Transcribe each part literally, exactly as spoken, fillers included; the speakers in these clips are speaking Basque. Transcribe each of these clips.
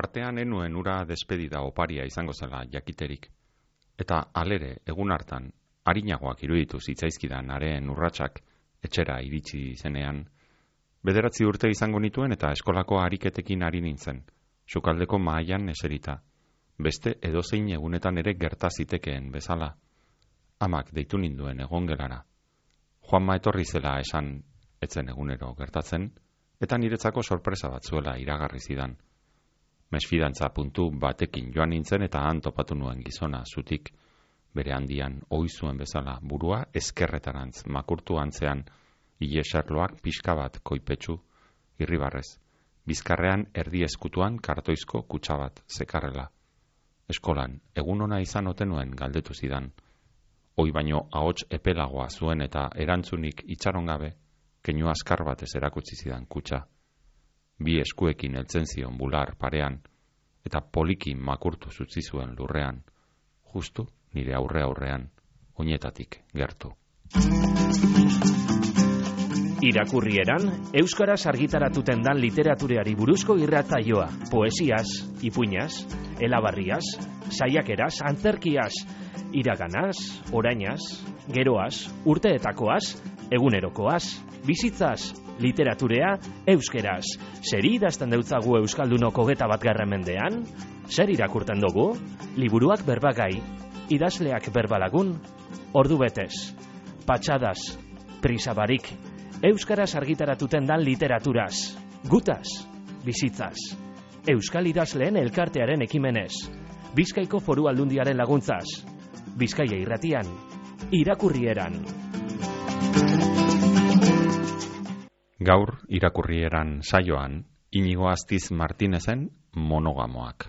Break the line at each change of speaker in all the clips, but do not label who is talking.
Tartean enuen ura despedida oparia izango zela jakiterik. Eta alere, egun hartan, arinagoak iruditu zitzaizkidan haren urratsak etxera iritsi zenean, bederatzi urte izango nituen eta eskolako ariketekin ari nintzen, sukaldeko mahaian eserita, beste edozein egunetan ere gerta zitekeen bezala. Amak deitu ninduen egongelara. Juanma etorri zela esan etzen egunero gertatzen, eta niretzako sorpresa bat zuela iragarri zidan. Mesfidantza puntu batekin joan nintzen eta han topatu nuen gizona zutik, bere handian ohi zuen bezala burua eskerretarantz makurtu antzean, ileserloak pixka bat koipetsu, irribarrez, bizkarrean erdi eskutuan kartoizko kutsa bat zekarrela. Eskolan, egun ona izan ote nuen galdetu zidan. Hoi baino ahots epelagoa zuen eta erantzunik itxaron gabe, keinu askar batez erakutsi zidan kutsa. Bi eskuekin heltzen zion bular parean, eta poliki makurtu zutzi zuen lurrean, justu nire aurre aurrean, oinetatik gertu.
Irakurrieran, euskaraz argitaratuten dan literatureari buruzko irratsaioa, poesiaz, ipuinaz, elabarriaz, saiakeraz, antzerkiaz, iraganaz, orainaz, geroaz, urteetakoaz, egunerokoaz, bizitzaz, literaturea euskeraz. Zer idazten deutzagu euskaldunok hogeta bat garren mendean? Zer irakurten dugu? Liburuak berbagai, idazleak berbalagun, ordu betez, patxadaz, prisabarik, euskaraz argitaratuten dan literaturaz, gutaz, bizitzaz, euskal idazleen elkartearen ekimenez, Bizkaiko Foru Aldundiaren laguntzaz, Bizkaia irratian, irakurrieran.
Gaur irakurrieran saioan, Inigo Astiz Martinezen monogamoak.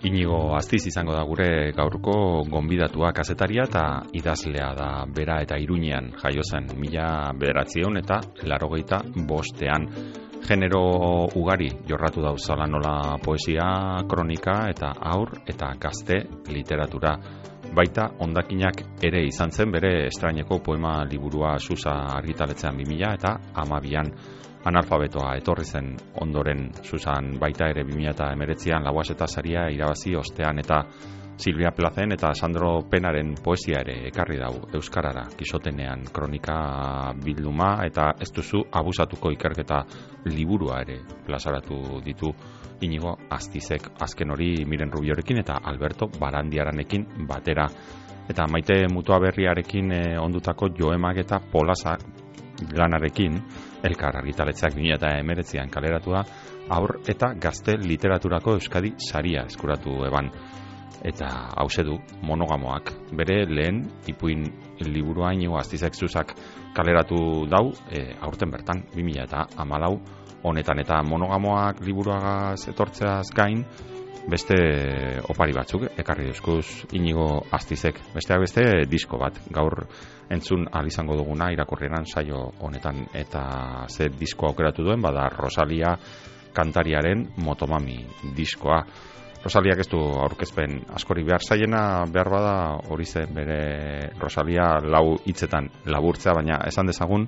Inigo Astiz izango da gure gaurko gonbidatua, kazetaria eta idazlea da bera, eta Iruñean jaio zen mila bederatziehun eta laurogeita bostean. Genero ugari jorratu dauzala, nola poesia, kronika eta haur eta gazte literatura. Baita hondakinak ere izan zen bere estraineko poema liburua Susa argitaletzean bi mila eta hamabian. Analfabetoa etorri zen ondoren Susan, baita ere bi mila hemeretzian Lauaxeta saria irabazi ostean, eta Silvia Plazen eta Sandro Penaren poesia ere ekarri dau euskarara, Kisotenean kronika bilduma eta ez duzu abusatuko ikerketa liburua ere plazaratu ditu Inigo Astizek, azken hori Miren Rubiorekin eta Alberto Barandiaranekin batera. Eta Maite Mutua Berriarekin eh, ondutako Joemak eta Polasa lanarekin elkar argitaletzeak bi mila hemeretzian kaleratua haur eta gazte literaturako Euskadi saria eskuratu eban. Eta hause du monogamoak, bere lehen ipuin liburua Inigo Astizek Susak kaleratu dau e, aurten bertan bi mila hamalau honetan, eta monogamoak liburuagaz etortzeaz gain beste opari batzuk ekarri duzkuz Inigo Astizek, besteak beste disko bat gaur entzun ahal izango duguna irakurrieran saio honetan, eta zer disko aukeratu duen bada Rosalia kantariaren Motomami diskoa. Rosaliak ez du aurkezpen askori behar zaiena, behar bada hori zen bere Rosalia lau hitzetan laburtzea, baina esan dezagun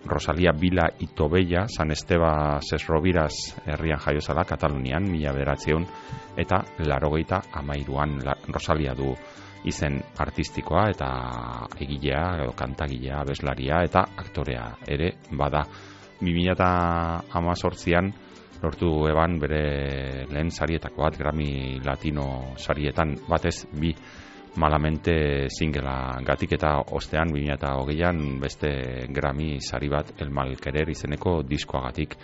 Rosalia Bila Itobella San Esteba Sesrobiraz herrian jaio zela Katalunian mila bederatziehun eta laurogeita hamairuan. Rosalia du izen artistikoa eta egilea edo kantagilea, abeslaria eta aktorea ere bada. bi mila hemezortzian lortu eban bere lehen sarietako bat, Grammy Latino sarietan, batez bi Malamente singela gatik, eta ostean bi mila hogeian beste Grammy sari bat El Malquerer izeneko diskoagatik.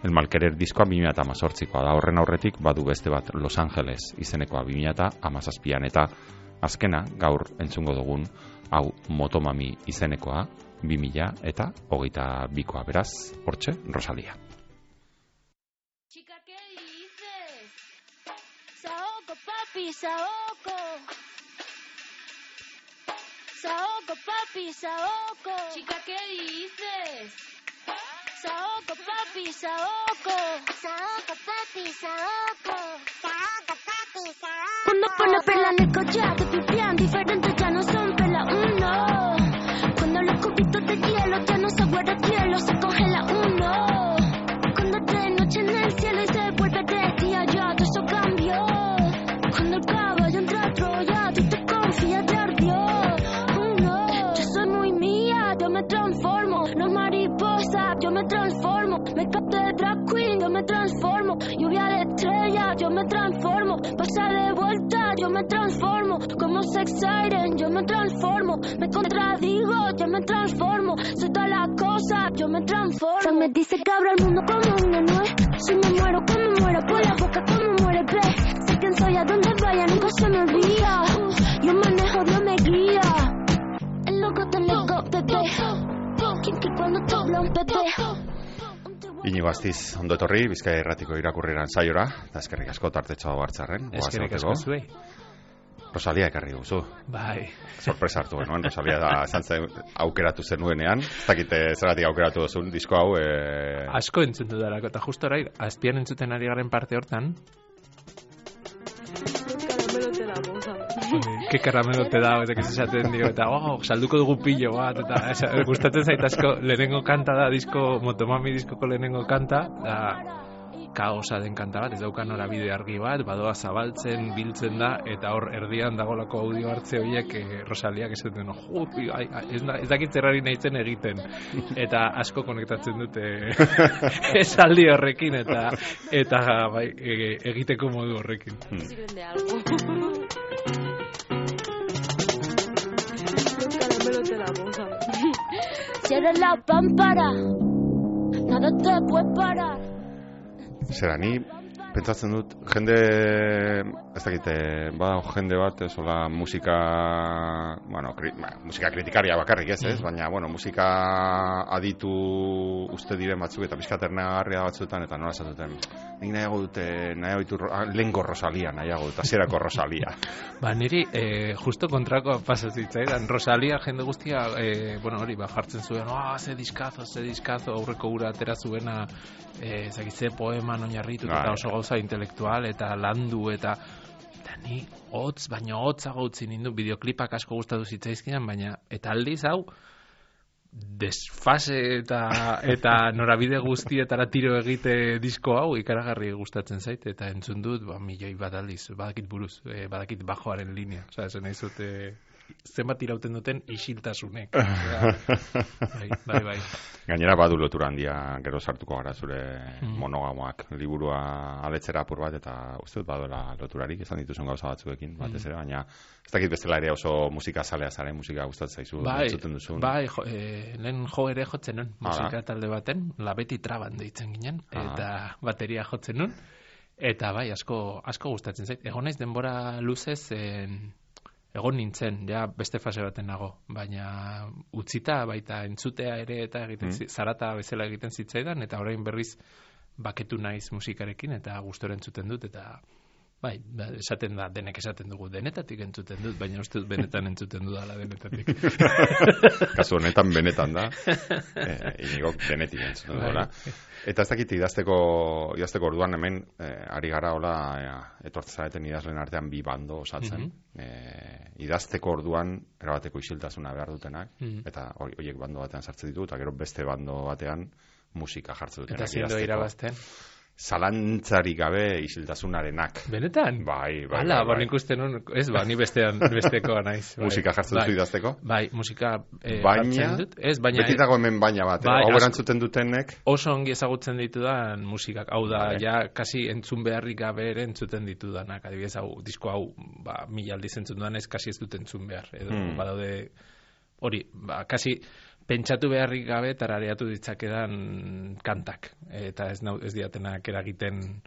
El Malquerer diskoa bi mila hemezortzikoa da, horren aurretik badu beste bat Los Angeles izenekoa bi mila hamazazpian, eta azkena gaur entzungo dugun hau Motomami izenekoa bi mila hogeita bikoa, beraz, hortxe Rosalia.
Chica, ¿qué dices? Saoko, papi, Saoko. Saoko, papi, Saoko. Chica, ¿qué dices? Saoko, papi, Saoko. Saoko, papi, Saoko. Saoko, papi, Saoko. Cuando pone perla en el collar, transformo, como sex siren, yo me transformo, me contradigo, yo me transformo, soy todas las cosas, yo me transformo. Se me dice que abra el mundo como una nuez, si me muero, como muero, por la boca como muere, ve, sé quién soy, a donde vaya, nunca se me olvida, yo manejo, Dios me guía, el loco te loco, bebé, quien que cuando te habla un bebé.
Inigo Astiz, ondo etorri, Bizkaia Irratiko irakurrieran saiora, eta eskerrik asko tartetxo hau hartzarren.
Eskerrik asko zuei.
Rosalia ekarri guzu.
Bai.
Sorpresa hartu genuen, Rosalia da zantzen aukeratu zenuenean. Ez dakite zeratik aukeratu duzun, disko hau. E...
Asko entzutu darako, eta justo orai, azpian entzuten ari garen parte hortan.
Karamelo te da, boza.
Ke karamelo te da, eta ez esaten dio, eta oh, salduko dugu pillo bat, eta esa, gustatzen zait asko, lehenengo kanta da, disko, Motomami diskoko lehenengo kanta, da, kaosa den kanta bat, ez dauka norabide argi bat, badoa zabaltzen, biltzen da, eta hor erdian dagolako audio hartze horiek eh, Rosaliak esaten, jo, ai, ai, ez, ez dakit zerrari nahitzen egiten, eta asko konektatzen dute esaldi horrekin, eta eta bai, e, egiteko modu horrekin.
Sirven de algo. Caramelo te da, boza.
Si eres la pámpara, nada te puede parar.
Zera, ni pentsatzen dut, jende, ez dakite, bada jende bat, ez hola musika, bueno, kri, ba, musika kritikaria bakarrik ez, ez, baina, bueno, musika aditu uste diren batzuk, eta pizkaternagarria batzuetan, eta nola esatuten, nik nahiago dute, nahiago ditu, lehengo Rosalia, nahiago dut, hasierako Rosalia.
Ba, niri, eh, justo kontrakoa pasazitzaidan, Rosalia jende guztia, eh, bueno, hori, ba, jartzen zuen, ah, oh, ze diskazo, ze diskazo, aurreko ura atera zuena, eh, zakitze poeman oinarritu, eta oso gauza intelektual, eta landu, eta eta ni hotz, baina hotzago utzi nindu, bideoklipak asko gustatu zitzaizkinan, baina, eta aldiz hau, desfase eta eta norabide guztietara tiro egite disko hau ikaragarri gustatzen zait, eta entzun dut, ba, milioi bat aldiz, badakit buruz, eh, badakit bajoaren linea, oza, esan nahi zute, zenbat irauten duten isiltasunek. bai, bai, bai.
Gainera badu lotura handia gero sartuko gara zure
Mm.
monogamoak liburua aletzera apur bat, eta uste dut baduela loturarik esan dituzun gauza batzuekin, batez ere, baina ez dakit bestela ere oso musika zalea zaren, musika gustatzen zaizu,
Bai,
entzuten duzun.
bai, jo, eh, lehen jo ere jotzen nun, musika
Hala.
talde baten, Labeti Traban deitzen ginen,
Aha.
eta bateria jotzen nun, eta bai, asko, asko gustatzen zait. Egon naiz denbora luzez, en, egon nintzen, ja beste fase baten nago, baina utzita baita entzutea ere eta egiten
Mm.
zi- zarata bezala egiten zitzaidan, eta orain berriz baketu naiz musikarekin, eta gustora entzuten dut, eta bai, ba, esaten da, denek esaten dugu, denetatik entzuten dut, baina uste dut benetan entzuten dudala denetatik.
Kasu honetan benetan da, eh, inigok denetik entzuten
Bai.
duela. Eta ez dakit idazteko, idazteko orduan hemen, eh, ari gara hola, eh, etortzen zareten idazlen artean bi bando osatzen.
Mhm.
eh, idazteko orduan erabateko isiltasuna behar dutenak,
Mhm.
eta hori- horiek bando batean sartzen ditu, eta gero beste bando batean musika jartzen dutenak
Eta zindo irabazten.
Zalantzarik gabe isiltasunarenak.
Benetan?
Bai, bai,
Hala,
bai,
ba,
bai.
nik uste nun, ez, ba, ni bestean, bestekoa naiz. Bai.
Musika jartzen duzu
Bai.
idazteko?
Bai, musika eh,
Baina,
jartzen dut. Ez, baina
beti dago hemen baina bat,
Bai,
eh? Hau
asko-
erantzuten dutenek,
oso ongi ezagutzen ditudan musikak. Hau da,
Vale.
ja, kasi entzun beharrik gabe ere entzuten ditudanak. Adibidez, hau, disko hau, ba, mila aldiz entzun dudan ez, kasi ez dut entzun behar. Edo,
Hmm.
badaude, hori, ba, kasi pentsatu beharrik gabe tarareatu ditzakedan kantak. Eta ez, nau, ez diatenak eragiten,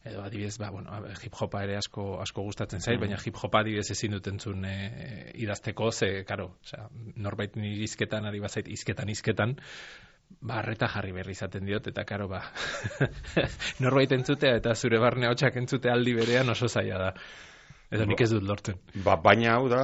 edo adibidez, ba, bueno, hip hopa ere asko asko gustatzen zait,
Mm.
baina hip hopa adibidez ezin dut entzun e, idazteko, ze, karo, osea, norbait nire izketan ari bazait izketan izketan, ba, arreta jarri berri izaten diot, eta karo, ba, norbait entzutea eta zure barne hotxak entzute aldi berean oso zaila da. Edo nik ez dut lortzen.
ba, baina hau da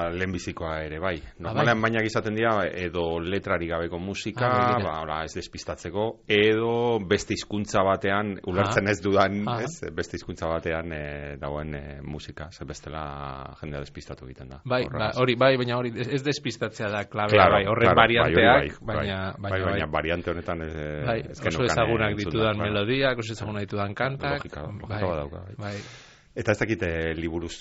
lehenbizikoa ere, bai. Normalean
bai.
bainak izaten dira edo letrari gabeko musika,
Ah, begira.
ba, ora, ez despistatzeko, edo beste hizkuntza batean, ulertzen
Ah.
ez dudan,
Ah.
ez, beste hizkuntza batean e, dagoen e, musika, ze bestela jendea despistatu egiten da.
Bai, ba,
Horregaz.
hori, bai, baina hori ez despistatzea da klabea,
Claro,
bai, horren
claro, bai, hori
varianteak,
bai,
baina,
bai,
baina,
bai, baina
bai.
variante honetan ez,
Bai,
ez
oso
genukan
ezagunak
entzun da,
ditudan
claro.
melodiak, oso ezagunak ditudan kantak.
Logika, logika
bai,
badauka, bai.
bai.
Eta ez dakite liburuz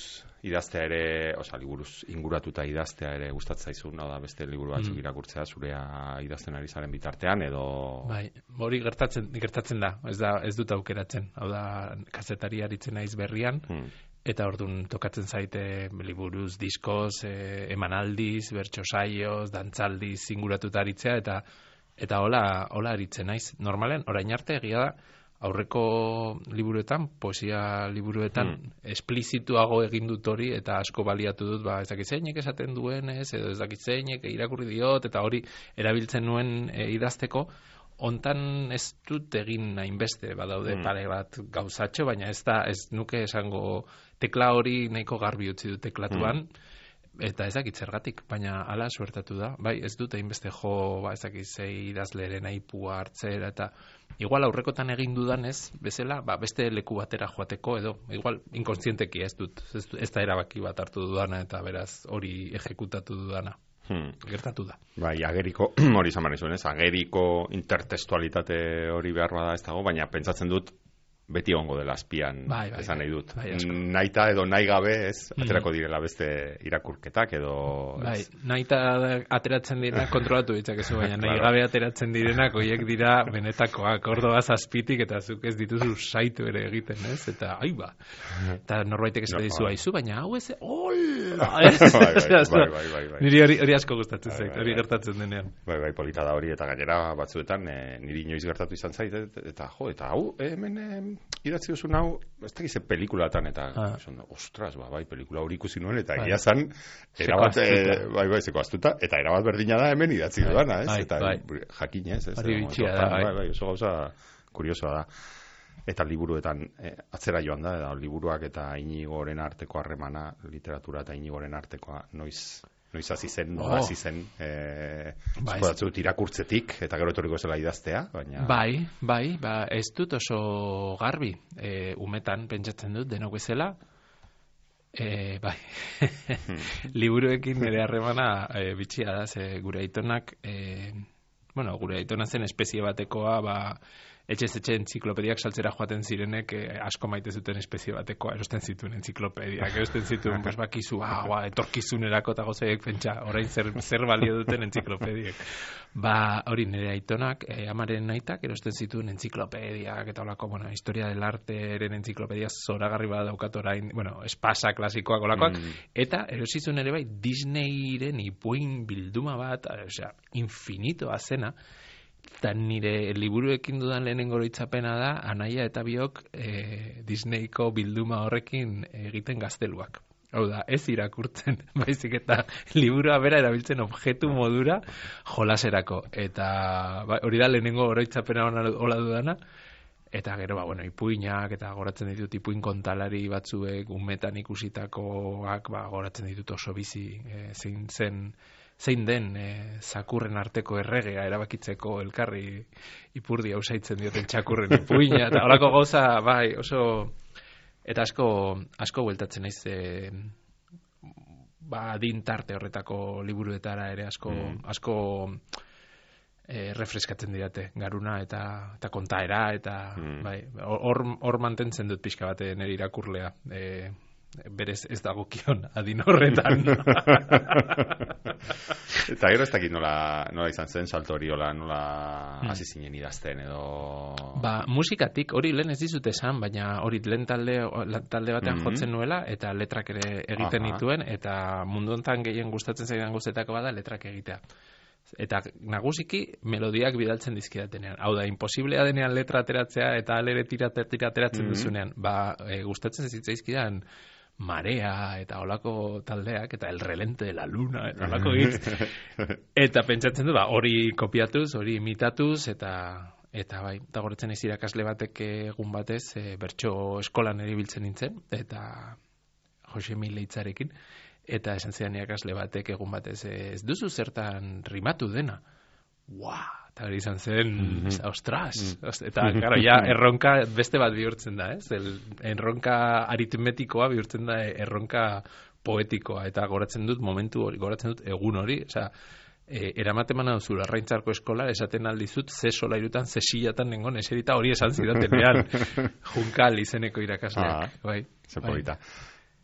idaztea ere, osea, liburuz inguratuta idaztea ere gustatzen zaizu, hau da beste liburu batzuk
Mm.
irakurtzea zurea idazten ari zaren bitartean, edo...
Bai, hori gertatzen gertatzen da, ez da ez dut aukeratzen. Hau da, kazetari aritzen naiz berrian,
Hmm.
eta orduan tokatzen zaite liburuz, diskoz, e, emanaldiz, bertso saioz, dantzaldiz inguratuta aritzea, eta eta hola, hola aritzen naiz. Normalen, orain arte egia da, aurreko liburuetan, poesia liburuetan, mm. esplizituago egin dut hori, eta asko baliatu dut, ba, ez dakit zeinek esaten duen, ez, edo ez dakit zeinek irakurri diot, eta hori erabiltzen nuen e, idazteko. Hontan ez dut egin hainbeste, badaude mm. pare bat gauzatxo, baina ez da, ez nuke esango tekla hori nahiko garbi utzi du teklatuan, mm. eta ez dakit zergatik, baina hala suertatu da. Bai, ez dut hainbeste jo, ba, ez dakit zei idazleren aipua hartzera, eta igual aurrekotan egin dudanez, bezala, ba, beste leku batera joateko, edo, igual inkontzienteki ez dut, ez, ez da erabaki bat hartu dudana, eta beraz hori ejekutatu dudana. Hmm. Gertatu da.
Bai, ageriko, hori izan barri zuen, ez? Ageriko intertextualitate hori behar bada ez dago, baina pentsatzen dut beti egongo dela azpian,
bai, bai,
esan nahi dut.
Bai,
naita edo nahi gabe, ez, aterako direla beste irakurketak edo...
Bai, naita ateratzen dira kontrolatu ditzakezu, baina nahi gabe ateratzen direnak oiek dira benetakoak, ordoa zazpitik eta zuk ez dituzu saitu ere egiten, ez? Eta, ai ba, eta norbaitek ez no, dizu aizu, baina hau ez, hola! Niri hori asko gustatzen zait, hori gertatzen denean.
Bai, bai, polita da hori, eta gainera batzuetan, niri inoiz gertatu izan zait, eta jo, eta hau, hemen... idatzi duzun hau, ez da gize pelikulatan, eta ah. esan, ostras, ba, bai, pelikula hori ikusi nuen, eta egia zan, erabat, e, bai, bai, zeko astuta, eta erabat berdina da hemen idatzi dudana, ez?
Bai,
eta
bai.
jakin ez, ez?
Hori bitxia da,
bai. Bai, oso gauza kuriosoa da. Eta liburuetan eh, atzera joan da, eta liburuak eta Inigoren arteko harremana, literatura eta Inigoren artekoa, noiz... Noiz hasi zen, no, hasi zen, eh, ba, ez irakurtzetik, eta gero etorriko zela idaztea, baina...
Bai, bai, ba, ez dut oso garbi, e, umetan pentsatzen dut, denok bezala, e, bai, liburuekin nire harremana e, bitxia da, ze gure aitonak, e, bueno, gure aitona zen espezie batekoa, ba, etxez etxe entziklopediak saltzera joaten zirenek eh, asko maite zuten espezie batekoa, erosten zituen entziklopediak, erosten zituen, pues bakizu, ah, ba, etorkizunerako eta gozaiek pentsa, orain zer, zer balio duten entziklopediak. Ba, hori nire aitonak, eh, amaren naitak, erosten zituen entziklopediak, eta holako, bueno, historia del arteren entziklopedia zoragarri bat daukat orain, bueno, espasa klasikoak olakoak, mm. eta erosizun ere bai, Disneyren ipuin bilduma bat, osea, infinitoa zena, eta nire liburuekin dudan lehenengo oroitzapena da, anaia eta biok e, Disneyko bilduma horrekin egiten gazteluak. Hau da, ez irakurtzen, baizik eta liburua bera erabiltzen objektu modura jolaserako. Eta ba, hori da lehenengo oroitzapena hola dudana, eta gero, ba, bueno, ipuinak, eta goratzen ditut ipuin kontalari batzuek, umetan ikusitakoak, ba, goratzen ditut oso bizi, e, zein zen... zein den e, zakurren arteko erregea erabakitzeko elkarri ipurdi ausaitzen dioten txakurren ipuina, eta horako gauza, bai, oso, eta asko, asko bueltatzen naiz, e, ba, din tarte horretako liburuetara ere asko, mm. asko e, refreskatzen didate, garuna eta, eta kontaera, eta, mm. bai, hor, hor mantentzen dut pixka bate nire irakurlea, e, berez ez dagokion adin horretan.
Eta gero ez dakit nola, nola izan zen salto hori, nola, nola hasi hmm. zinen idazten edo...
Ba, musikatik hori lehen ez dizut esan, baina hori lehen talde, talde batean mm-hmm. jotzen nuela, eta letrak ere egiten Aha. nituen, eta mundu honetan gehien gustatzen zaidan guztetako bada letrak egitea. Eta nagusiki melodiak bidaltzen dizkidatenean. Hau da, imposiblea denean letra ateratzea eta alere tira ateratzen mm-hmm. duzunean. Ba, e, gustatzen zitzaizkidan Marea eta olako taldeak eta El relente de la luna eta olako hitz. Eta pentsatzen du, ba, hori kopiatuz, hori imitatuz, eta eta bai, eta goretzen ez irakasle batek egun batez, e, bertso eskolan eribiltzen nintzen, eta Jose Mil Leitzarekin, eta esan zidan irakasle batek egun batez, ez duzu zertan rimatu dena. Ua, eta hori izan zen, mm-hmm. ostras, mm-hmm. eta gara, ja, erronka beste bat bihurtzen da, ez? El, erronka aritmetikoa bihurtzen da erronka poetikoa, eta goratzen dut momentu hori, goratzen dut egun hori, osea, e, eramaten duzu Larraintzarko eskola, esaten aldizut, ze solairutan, ze silatan nengon, eserita hori esan zidatenean, Junkal izeneko irakasleak, ah, bai.
Ze polita.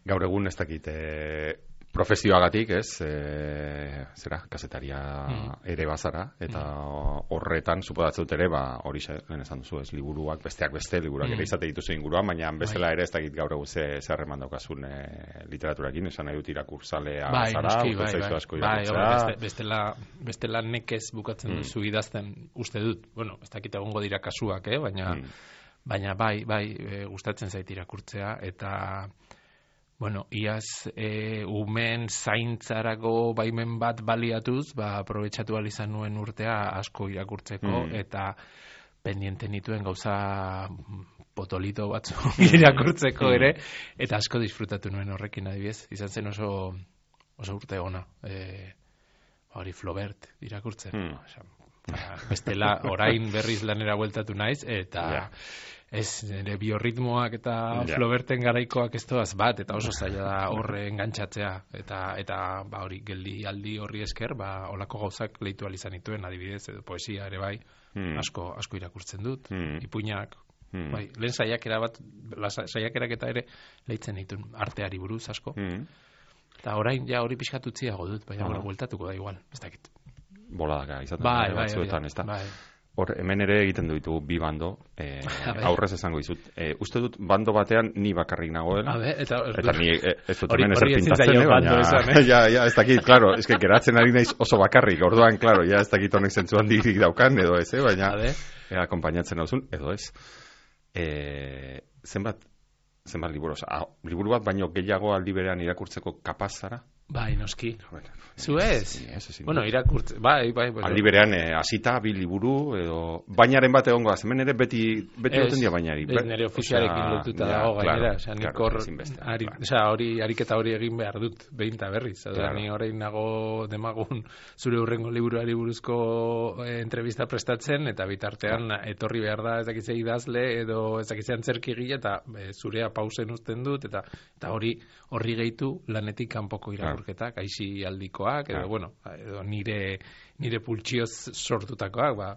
Gaur egun ez dakit, e, profesioagatik, ez, e, zera, kasetaria mm. ere bazara, eta mm. horretan, suposatzen dut ere, ba, hori lehen esan duzu, ez, liburuak, besteak beste, liburuak mm. ere izate dituzu inguruan, baina bezala ere ez dakit gaur egun ze zerreman daukazun e, literaturakin, esan nahi dut irakurzalea
bai,
zara,
bai, bai,
bai,
asko irakurtzea. Bai, beste, bestela, bestela nekez bukatzen mm. duzu idazten uste dut, bueno, ez dakit egongo dira kasuak, eh, baina, mm. baina bai, bai, e, gustatzen zait irakurtzea, eta bueno, iaz e, umen zaintzarako baimen bat baliatuz, ba, aprobetxatu izan nuen urtea asko irakurtzeko, mm. eta pendiente nituen gauza potolito batzu irakurtzeko ere, eta asko disfrutatu nuen horrekin adibidez. Izan zen oso, oso urte ona, e, hori Flaubert irakurtzen. Mm. Osa, ba, bestela orain berriz lanera bueltatu naiz, eta... Yeah. Ez, nire biorritmoak eta yeah. Flauberten garaikoak ez toaz bat, eta oso zaila da horre engantzatzea, eta, eta ba, hori geldi aldi horri esker, ba, olako gauzak lehitu alizan dituen, adibidez, edo poesia ere bai, hmm. asko, asko irakurtzen dut, hmm. ipuinak, hmm. bai, lehen saiakera bat, saiakerak eta ere lehitzen dituen arteari buruz asko, hmm. eta orain ja hori pixkatutziago dut, baina ah. bueltatuko da igual, ez dakit.
Boladaka izaten
bai, bai,
batzuetan, ez da?
Bai.
Hor, hemen ere egiten duitu bi bando, eh, aurrez esango dizut. Eh, uste dut, bando batean ni bakarrik nagoela.
Be, eta,
eta ni eh, ez dut hemen ezer pintatzen, eh, baina... Esan, eh? ja, ja, ez dakit, klaro, ez que geratzen ari naiz oso bakarrik, orduan, klaro, ja, ez dakit honek zentzuan dirik daukan, edo ez, eh, baina, eh, akompainatzen hauzun, edo ez. Eh, zenbat, zenbat liburu, ah, liburu bat baino gehiago aldi berean irakurtzeko kapaz zara?
Bai, noski. Zu ez? Bueno, irakurtze, bai, bai. Bueno.
Aldi berean, eh, asita, bi liburu, edo... Bainaren bat egongo da, hemen ere beti, beti noten dia bainari.
Ez, nire ofizialekin lotuta dago gainera. Osa, nik hor, ari, osa, hori, ariketa hori egin behar dut, behin eta berriz. Osa, claro. Ni horrein nago demagun zure hurrengo liburuari buruzko eh, entrevista prestatzen, eta bitartean ah. etorri behar da ezakitzea idazle, edo ezakitzea antzerki gila, eta eh, zurea pausen uzten dut, eta eta hori horri gehitu lanetik kanpoko irakurketak, aisi aldikoak, edo, bueno, edo nire, nire pultsioz sortutakoak, ba,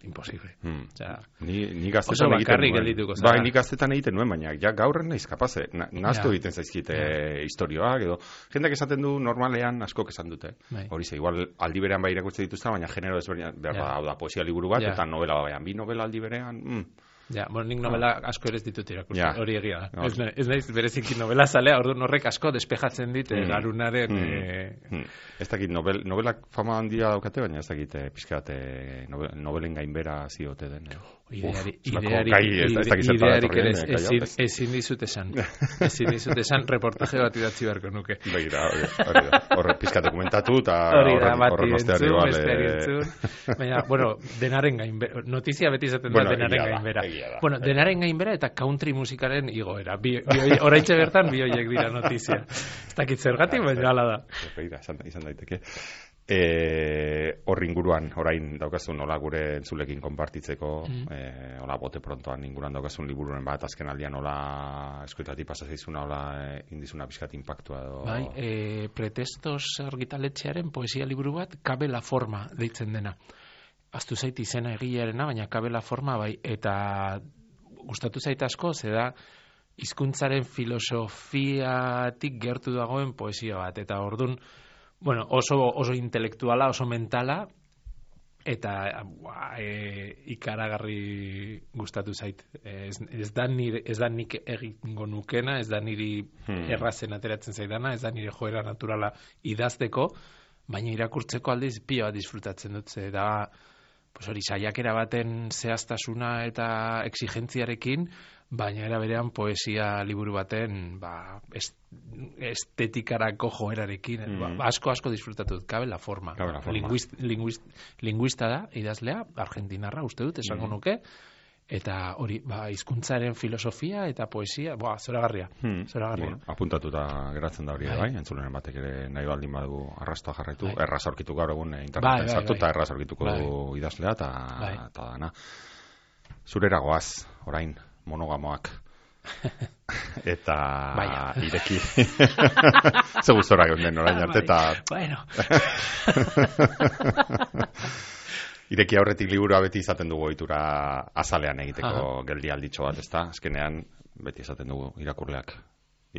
imposible. Hmm. O sea,
ni, ni gaztetan egiten
nuen.
Bai, ni gaztetan egiten nuen, baina ja gaurren naiz kapaze. Na, naztu egiten zaizkite yeah. istorioak, edo jendeak esaten du normalean askok esan dute. Bai. Hori ze, igual aldi berean bai irakurtzen dituzta, baina genero ezberdinak behar yeah. da, poesia liburu bat, yeah. eta novela baian. Bi novela aldi berean, mm.
Ja, bueno, nik novela asko ere ez ditut irakurtzen, ja. Hori egia da. No. Ez, ez naiz bereziki novela zalea, orduan horrek asko despejatzen dit mm. garunaren... Mm. Eh...
Mm. Ez dakit, novel, novelak fama handia daukate, baina ez dakit eh, pixkat eh, novel, novelen gainbera ziote den. Eh.
Ideari, Uf, ideari, gai, ez, ez idearik ere ezin, ezin dizut esan. Ezin dizut esan, reportaje bat idatzi beharko nuke.
Begira, hori da. Horre pixka dokumentatu eta
horren osteari bale. Baina, bueno, denaren gainbera. Notizia beti izaten da denaren gainbera. Bueno, denaren gainbera eta country musikaren igoera. Horaitxe bertan, bi horiek dira notizia. Ez dakit zergatik, baina hala da.
Begira, izan daiteke. E, horri inguruan, orain daukazun hola gure entzulekin konpartitzeko, mm. e, hola bote prontoan inguruan daukazun libururen bat, azken aldian hola eskuetatik pasazeizuna, hola e, indizuna pixkat impactua edo...
Bai, e, pretestos argitaletxearen poesia liburu bat, Cabe la forma deitzen dena. Aztu zait izena egilearena, baina Cabe la forma bai, eta gustatu zait asko, ze da hizkuntzaren filosofiatik gertu dagoen poesia bat, eta ordun bueno, oso, oso intelektuala, oso mentala, eta bua, e, ikaragarri gustatu zait. Ez, ez, da nire, ez da nik egingo nukena, ez da niri hmm. errazen ateratzen zaidana, ez da nire joera naturala idazteko, baina irakurtzeko aldiz pila bat disfrutatzen dut, ze da, pues hori, saiakera baten zehaztasuna eta exigentziarekin, baina era berean poesia liburu baten ba, estetikarako joerarekin mm. ba, asko asko disfrutatu dut. Cabe la forma,
Cabe la forma.
Linguist, linguist, linguista da idazlea, argentinarra uste dut esango mm. nuke, eta hori ba, hizkuntzaren filosofia eta poesia ba, zoragarria, mm. zoragarria.
Bueno, apuntatuta geratzen da hori bai, entzulenen batek ere nahi baldin badu arrastoa jarraitu, bai. Erraz aurkitu gaur egun interneten sartu eta erraz aurkituko bai. Du idazlea eta bai. Dana zurera goaz, orain monogamoak eta Baina. Ireki ze gustora geunden orain arte eta
bueno.
Ireki aurretik liburua beti izaten dugu ohitura azalean egiteko Aha. Geldi alditxo bat, ezta? Azkenean beti izaten dugu irakurleak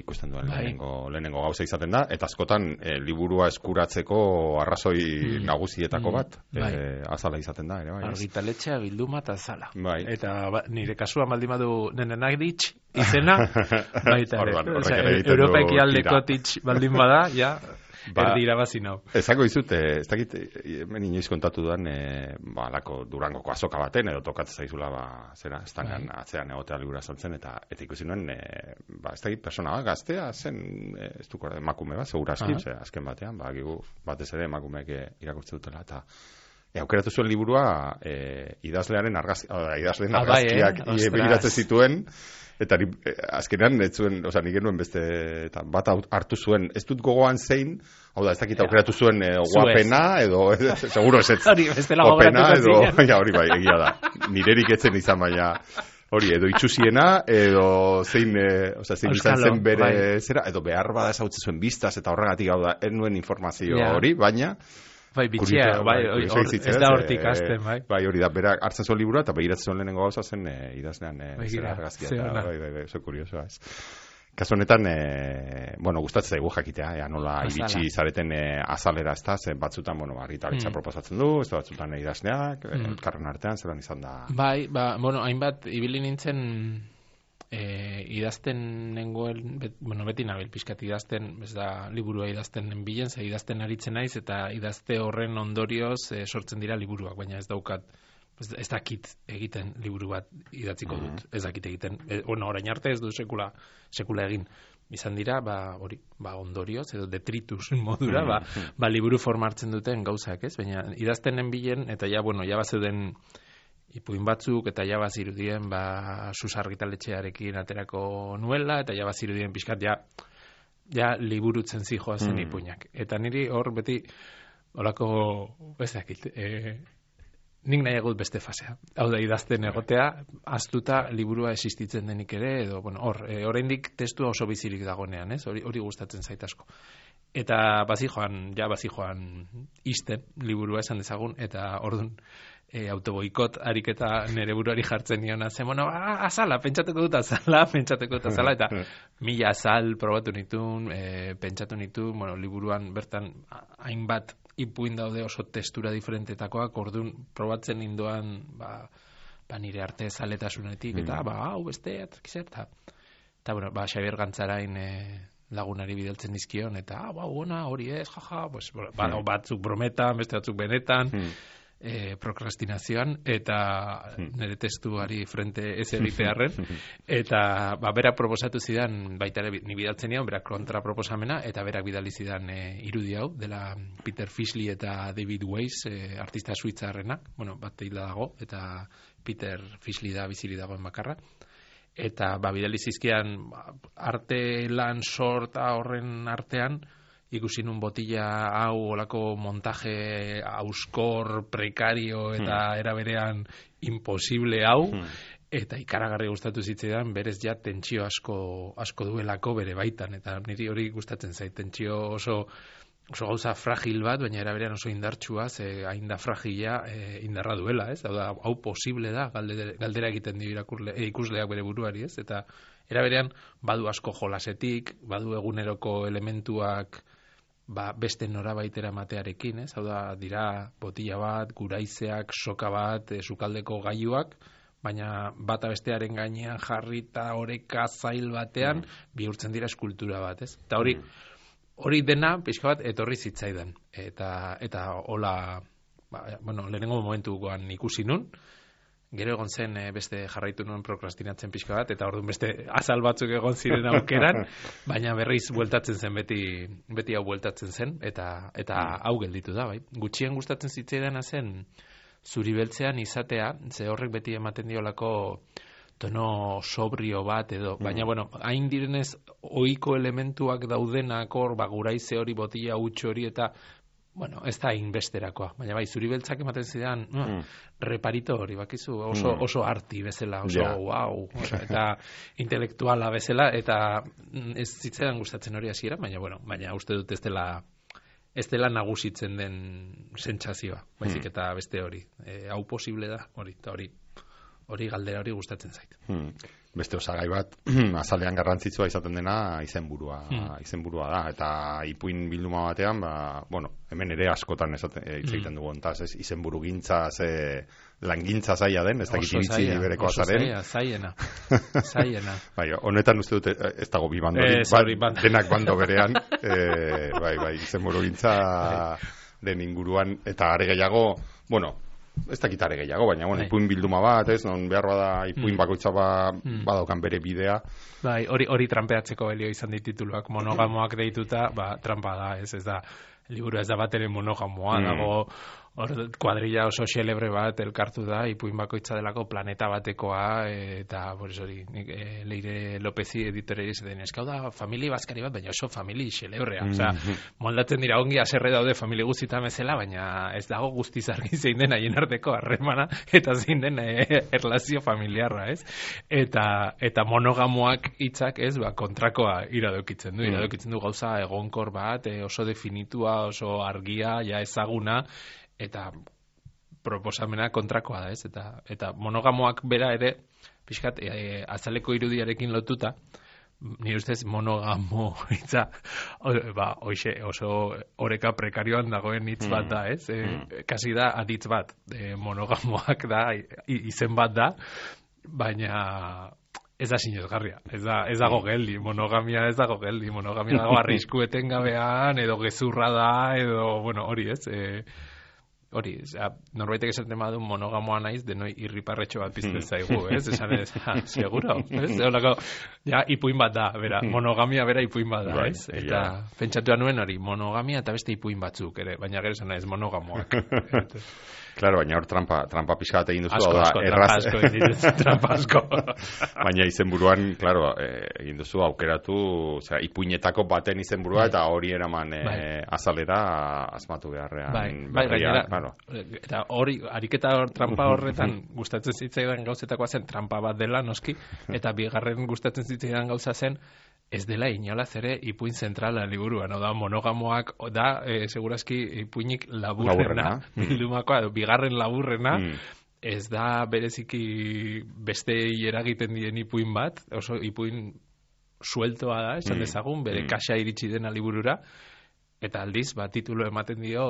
ikusten duen lehenengo, lehenengo gauza izaten da, eta askotan e, liburua eskuratzeko arrazoi mm. nagusietako bat mm. e, azala izaten da ere, bai.
Argitaletxea, bilduma eta azala.
Bai.
Eta ba, nire kasua baldin badu Nenenagritx izena, baita ere.
O sea,
Europa ekialdeko titx baldin bada, ja, ba, erdi irabazi nau.
Ezako izut, ez dakit, hemen inoiz kontatu duan, e, ba, lako Durangoko azoka baten, edo tokatzen zaizula, ba, zera, estangan bai. Atzean egotea libura saltzen, eta eta ikusi nuen, e, ba, ez dakit, persona bat, gaztea, zen, e, ez duko, emakume bat, segura aski, uh -huh. azken batean, ba, gigu, batez ere emakumeek irakurtze dutela, eta E, aukeratu zuen liburua e, idazlearen argazki, idazlearen
ah,
argazkiak
bai, eh?
begiratzen zituen, eta ni, e, azkenean ez zuen, oza, nik genuen beste, eta bat hartu zuen, ez dut gogoan zein, hau da, ez dakit aukeratu zuen e, guapena, edo, e, seguro ez ez, guapena, edo, ja, hori bai, egia da, nirerik etzen izan baina, hori, edo itxusiena, edo zein, e, oza, zein izan zen bere bai. Zera, edo behar bada ezautze zuen biztaz, eta horregatik, hau da, ez nuen informazio yeah. hori, baina,
Bai, bitxia, bai, or, ez da hortik azten, bai.
Bai, hori da, berak hartzen zuen liburua, eta begiratzen zuen lehenengo gauza zen e, idazlean e,
bai,
zera argazkia. Bai, bai, bai, oso kuriosoa, ez. Kasu honetan, e, bueno, gustatzen zaigu jakitea, ea nola Azala. Iritsi zareten e, azalera, ez da, zen batzutan, bueno, argitaletxa mm. proposatzen du, ez da batzutan e, idazleak, mm. elkarren artean, zelan izan da.
Bai, ba, bueno, hainbat, ibili nintzen, E, idazten nengoen, bet, bueno, beti nabil pixkat idazten, ez da liburua idazten bilen, ze idazten aritzen naiz, eta idazte horren ondorioz e, sortzen dira liburuak, baina ez daukat, ez, ez dakit egiten liburu bat idatziko dut, mm-hmm. ez dakit egiten, e, bueno, orain arte ez du sekula, sekula egin, izan dira, ba, hori, ba, ondorioz, edo detritus modura, ba, ba, liburu formartzen duten gauzak, ez, baina idaztenen bilen, eta ja, bueno, ja bazeuden ipuin batzuk, eta ja bazirudien, ba, susargitaletxearekin aterako nuela, eta ja bazirudien pixkat, ja, ja liburutzen zijoazen mm. ipuinak. Eta niri hor beti, horako, ez dakit, e, nik nahiagut beste fasea. Hau da, idazten egotea, aztuta liburua existitzen denik ere, edo, bueno, hor, e, oraindik testua oso bizirik dagonean, ez? Hori, hori gustatzen zait asko. Eta bazijoan, ja bazijoan isten liburua esan dezagun, eta ordun E, autoboikot ariketa nere buruari jartzen niona zen, bueno, azala, pentsatuko dut azala, pentsatuko dut azala, eta mila azal probatu nituen, e, pentsatu nituen, bueno, liburuan bertan hainbat ipuin daude oso testura diferentetakoak, orduan probatzen ninduan, ba, ba nire arte zaletasunetik, eta, mm. ba, hau beste, eta, eta, bueno, ba, Xabier Gantzarain e, lagunari bidaltzen dizkion, eta, ah, ba, ona, hori ez, jaja, pues, ba, mm. batzuk brometan, beste batzuk benetan, mm. E, prokrastinazioan, eta nire testuari frente ez egitearren, eta ba, berak proposatu zidan, baita ere ni bidaltzen nion, berak kontra proposamena, eta berak bidali zidan e, irudi hau, dela Peter Fishley eta David Weiss, e, artista suitzarrenak, bueno, bat hila dago, eta Peter Fishley da bizili dagoen bakarra, eta ba, bidali zizkian arte lan sorta horren artean, ikusi nun botila hau olako montaje auskor, prekario eta hmm. eraberean imposible hau, hmm. eta ikaragarri gustatu zitzaidan, berez ja tentsio asko asko duelako bere baitan, eta niri hori gustatzen zait, tentsio oso oso gauza fragil bat, baina eraberean oso indartsua, ze hain da fragila e, indarra duela, ez? Hau da, hau posible da, galdera, galdera egiten dio irakurle, e, ikusleak bere buruari, ez? Eta eraberean badu asko jolasetik, badu eguneroko elementuak ba, beste norabaitera matearekin, ez? Hau da, dira botila bat, guraizeak, soka bat, e, sukaldeko gailuak, baina bata bestearen gainean jarrita oreka zail batean mm. bihurtzen dira eskultura bat, ez? Eta hori, hori dena, pixka bat, etorri zitzaidan. Eta, eta hola, ba, bueno, lehenengo momentuan ikusi nun, gero egon zen e, beste jarraitu nuen prokrastinatzen pixka bat, eta orduan beste azal batzuk egon ziren aukeran, baina berriz bueltatzen zen, beti, beti hau bueltatzen zen, eta, eta hau gelditu da, bai. Gutxien gustatzen zitzaidana zen, zuri beltzean izatea, ze horrek beti ematen diolako tono sobrio bat edo, baina, bueno, hain direnez ohiko elementuak daudenak hor, ba, guraize hori, botila huts hori, eta bueno, ez da inbesterakoa, baina bai, zuri beltzak ematen zidan, no, mm. reparito hori, bakizu, oso, mm. oso arti bezala, oso, yeah. wow, eta intelektuala bezala, eta ez zitzaidan gustatzen hori hasiera, baina, bueno, baina uste dut ez dela, ez dela nagusitzen den sentsazioa, baizik eta beste hori, e, hau posible da, hori, eta hori, hori galdera hori gustatzen zait.
Hmm. Beste osagai bat, azalean garrantzitsua izaten dena izenburua, hmm. izenburua da, eta ipuin bilduma batean, ba, bueno, hemen ere askotan esaten, e, hitz egiten dugu, ontaz, ez, izenburu gintza, ze, langintza zaila den, ez dakit iritzi libereko azaren.
Oso zaila, zaiena, zaiena.
Bai, honetan uste dute, ez dago bi bandori,
eh, sorry,
ba, denak bando berean, e, bai, bai, izenburu gintza den inguruan, eta are gehiago, bueno, ez dakit are gehiago, baina, bueno, ipuin bilduma bat, ez, non behar bada ipuin mm. bakoitza ba, mm. badaukan bere bidea.
Bai, hori hori trampeatzeko belio izan ditituluak, monogamoak deituta, ba, trampa da, ez, ez da, liburu ez da bat ere monogamoa, mm. dago, hor, kuadrilla oso xelebre bat elkartu da, ipuin bakoitza delako planeta batekoa, eta, por eso hori, e, Leire Lopezi editore izaten, eskau da, famili bazkari bat, baina oso famili xelebrea, mm. osea, moldatzen dira ongi aserre daude famili guztietan bezala, baina ez dago guztiz argi zein den haien arteko harremana, eta zein den e, erlazio familiarra, ez? Eta, eta monogamoak hitzak, ez, ba, kontrakoa iradokitzen du, iradokitzen du gauza egonkor bat, e, oso definitua, oso argia, ja ezaguna, eta proposamena kontrakoa da, ez? Eta, eta monogamoak bera ere, pixkat, e, azaleko irudiarekin lotuta, nire ustez monogamo hitza, ba, oixe, oso oreka prekarioan dagoen hitz bat da, ez? E, kasi da aditz bat, e, monogamoak da, izen bat da, baina ez da sinezgarria, ez da, ez dago geldi, monogamia ez dago geldi, monogamia dago arrisku etengabean, edo gezurra da, edo, bueno, hori ez, e, hori, ja, norbaitek esaten badu monogamoa naiz, denoi irriparretxo bat pizten zaigu, ez? Esan ez, ja, seguro, ez? Eolako, ja, ipuin bat da, bera, monogamia bera ipuin bat da, ez? Eta pentsatu nuen hori, monogamia eta beste ipuin batzuk, ere, baina gero esan ez, monogamoak.
Claro, baina hor trampa, trampa pixka bat egin duzu.
Asko, asko, trampa asko egin duzu, trampa asko.
Baina izenburuan, claro, egin duzu aukeratu, osea, ipuinetako baten izenburua, eta hori eraman e, azalera asmatu beharrean.
Bai, bai, gainera, claro. Eta hori, ariketa hor, trampa horretan gustatzen zitzaidan gauzetakoa zen trampa bat dela, noski, eta bigarren gustatzen zitzaidan gauza zen, ez dela inolaz ere ipuin zentrala liburuan, da monogamoak da, e, segurazki ipuinik laburrena, bildumakoa, bigarren laburrena, mm. ez da bereziki beste eragiten dien ipuin bat, oso ipuin sueltoa da, esan dezagun, bere mm. kaxa iritsi dena liburura, eta aldiz, ba, titulo ematen dio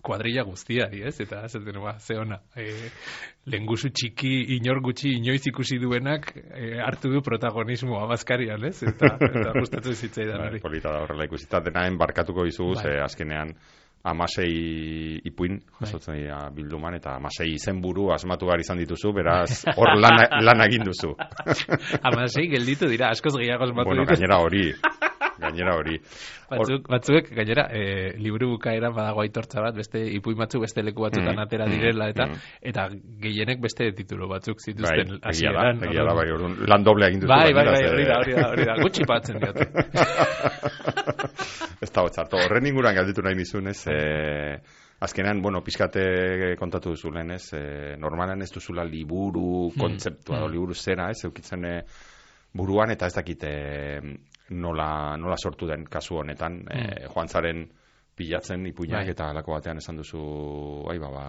kuadrilla guztiari, ez? Eta, zaten, ba, ze ona, e, lengusu txiki, inor gutxi, inoiz ikusi duenak, e, hartu du protagonismoa bazkarian, ez? Eta, eta gustatzen zitzaidan hori.
Polita da horrela ikusita, denaen barkatuko dizugu, ze azkenean, amasei ipuin, jasotzen dira bilduman, eta amasei izenburu asmatu behar izan dituzu, beraz, hor lan, lan egin duzu.
Amasei gelditu dira, askoz gehiago asmatu
bueno,
ditu.
Gainera hori. Gainera hori.
Batzuk, batzuek, gainera, e, liburu bukaeran badago aitortza bat, beste ipuin batzuk, beste leku batzutan mm, atera direla, eta mm. eta gehienek beste titulo batzuk zituzten
bai, hasieran. Bai, egia da, bai, orduan, lan doble egin duzu.
Bai, bai, bai, hori da, hori da, hori da, gutxi batzen diote.
Ez da hotzartu, horren inguruan galditu nahi nizun, ez, e, azkenean, bueno, pizkate kontatu duzu lehen, ez, e, normalan ez duzula liburu, kontzeptua, mm. liburu zera, ez, eukitzen e, buruan, eta ez dakite nola, nola sortu den kasu honetan, mm. e, joan zaren pilatzen ipuinak bai. Eta halako batean esan duzu, bai, baba,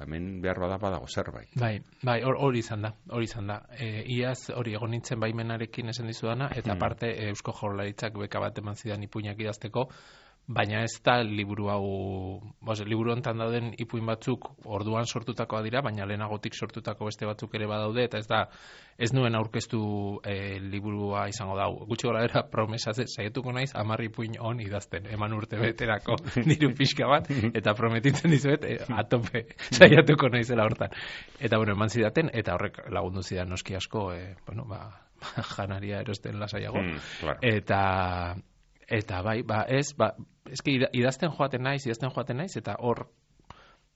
hemen behar bada badago zerbait.
Bai, bai, hori izan da, hori izan da. E, iaz hori egon nintzen baimenarekin esan dizudana, eta mm. aparte Eusko Jaurlaritzak beka bat eman zidan ipuinak idazteko, baina ez da liburu hau, bos, liburu hontan dauden ipuin batzuk orduan sortutakoa dira, baina lehenagotik sortutako beste batzuk ere badaude, eta ez da, ez nuen aurkeztu e, liburua izango dau. Gutxi gora bera promesaz, saietuko naiz hamar ipuin on idazten, eman urte beterako diru pixka bat, eta prometitzen dizuet, e, atope saiatuko naizela hortan. Eta bueno, eman zidaten, eta horrek lagundu zidan noski asko, e, bueno, ba, janaria erosten lasaiago. Mm, claro. Eta Eta bai, ba, ez, ba, eski idazten joaten naiz, idazten joaten naiz, eta hor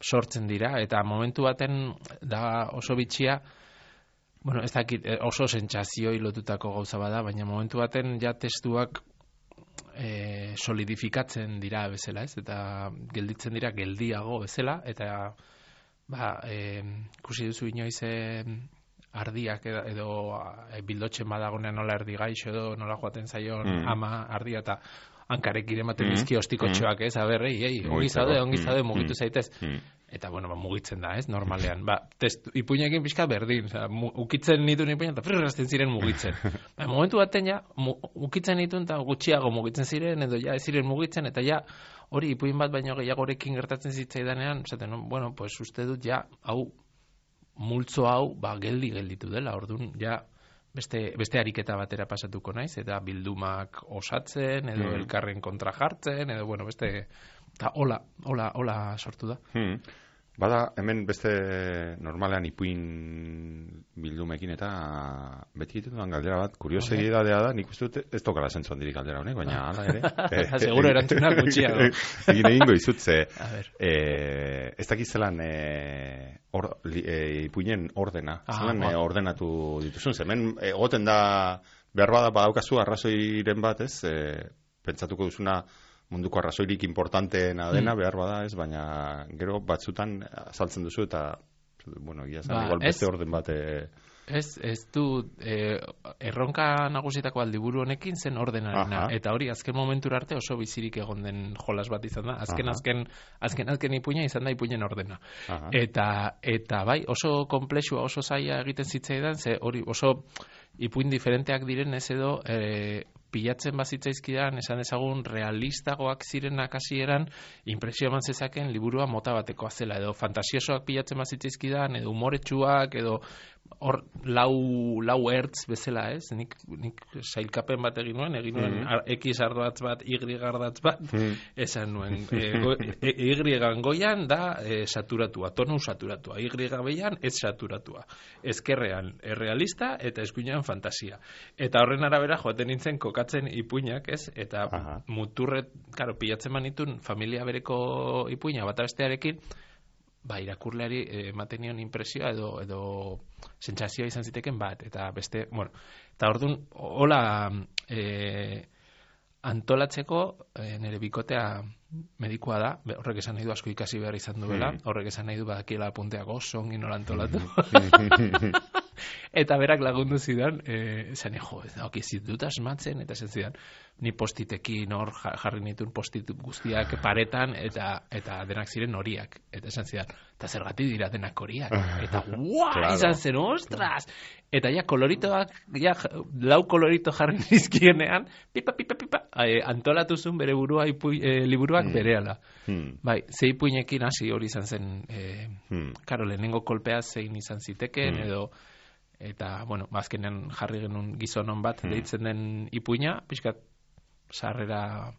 sortzen dira, eta momentu baten da oso bitxia, bueno, ez dakit, oso sentsazio lotutako gauza bada, baina momentu baten ja testuak e, solidifikatzen dira bezala, ez, eta gelditzen dira geldiago bezala, eta ba, e, ikusi duzu inoiz e, ardiak edo, edo e, bildotzen badagonean nola erdi gaixo edo nola joaten zaion mm. ama ardia eta hankarek ematen dizki mm. ostikotxoak, ez, aber, ei, ei, ongi zaude, ongi zaude, mugitu zaitez. Mm. eta, bueno, ba, mugitzen da, ez, normalean. Ba, testu, ipuinekin pixka berdin, oza, mu, ukitzen nituen ipuinak, eta frrrazten ziren mugitzen. Ba, momentu baten, ja, mu, ukitzen nituen, eta gutxiago mugitzen ziren, edo ja, ez ziren mugitzen, eta ja, hori ipuin bat baino gehiagorekin gertatzen zitzaidanean, zaten, bueno, pues uste dut, ja, hau, multzo hau, ba, geldi gelditu dela, orduan, ja, beste, beste ariketa batera pasatuko naiz, eta bildumak osatzen, edo mm. elkarren kontra jartzen, edo, bueno, beste, eta hola, hola, hola sortu da.
Hmm. Bada, hemen beste normalean ipuin bildumekin eta beti egiten dudan galdera bat, kuriosegidadea da, nik uste dut ez tokala zentzu handirik galdera honek, baina hala ere.
Seguro erantzunak gutxiago.
Egin egingo izut, ze, eh, ez dakiz zelan eh, or, li, eh, ipuinen ordena, ah, zelan eh, ordenatu dituzun, ze hemen egoten da, behar bada badaukazu arrazoiren bat, ez, eh, pentsatuko duzuna, munduko arrazoirik importanteena dena, mm. behar bada, ez, baina gero batzutan azaltzen duzu eta, bueno, egia zan, ba, igual beste ez, orden bat... E...
Ez, ez du, e, erronka nagusietako liburu honekin zen ordenarena, aha. Eta hori azken momentura arte oso bizirik egon den jolas bat izan da, azken, aha. azken, azken, azken ipuina izan da ipuinen ordena. Eta, eta bai, oso komplexua, oso zaila egiten zitzaidan, ze hori oso ipuin diferenteak diren ez edo... E, pilatzen bazitzaizkidan, esan ezagun realistagoak zirenak hasieran, impresio eman zezaken liburua mota batekoa zela, edo fantasiosoak pilatzen bazitzaizkidan, edo humoretsuak, edo hor lau, lau ertz bezala, ez? Nik, nik sailkapen bat egin nuen, egin nuen mm. X ardatz bat, Y ardatz bat, mm. esan nuen, e, go, e, Y goian da e, saturatua, tonu saturatua, Y behian ez saturatua, ezkerrean errealista eta eskuinean fantasia. Eta horren arabera joaten nintzen kokatzen ipuinak, ez? Eta aha. Muturret, karo, pilatzen manitun familia bereko ipuina bata bestearekin, ba, irakurleari ematen nion impresioa edo, edo sentsazioa izan ziteken bat, eta beste, bueno, eta orduan, hola e, antolatzeko e, nire bikotea medikoa da, horrek esan nahi du asko ikasi behar izan duela, mm. horrek esan nahi du badakiela apunteak oso ongi nola antolatu. Eta berak lagundu zidan, eh, esan jo, ok, zidut asmatzen, eta esan zidan, ni postitekin hor jarri nituen postit guztiak paretan, eta eta denak ziren horiak. Eta esan zidan, eta zergatik dira denak horiak. Eta guau, claro. Izan zen, ostras! Eta ja, koloritoak, ja, lau kolorito jarri nizkienean, pipa, pipa, pipa, eh, antolatu zuen bere burua ipui, eh, liburuak hmm. berehala. Hmm. Bai, ze ipuinekin hasi hori izan zen, eh, hmm. karo, lehenengo kolpea zein izan ziteken, hmm. edo, eta, bueno, azkenean jarri genuen gizonon bat hmm. deitzen den ipuina, pixkat sarrera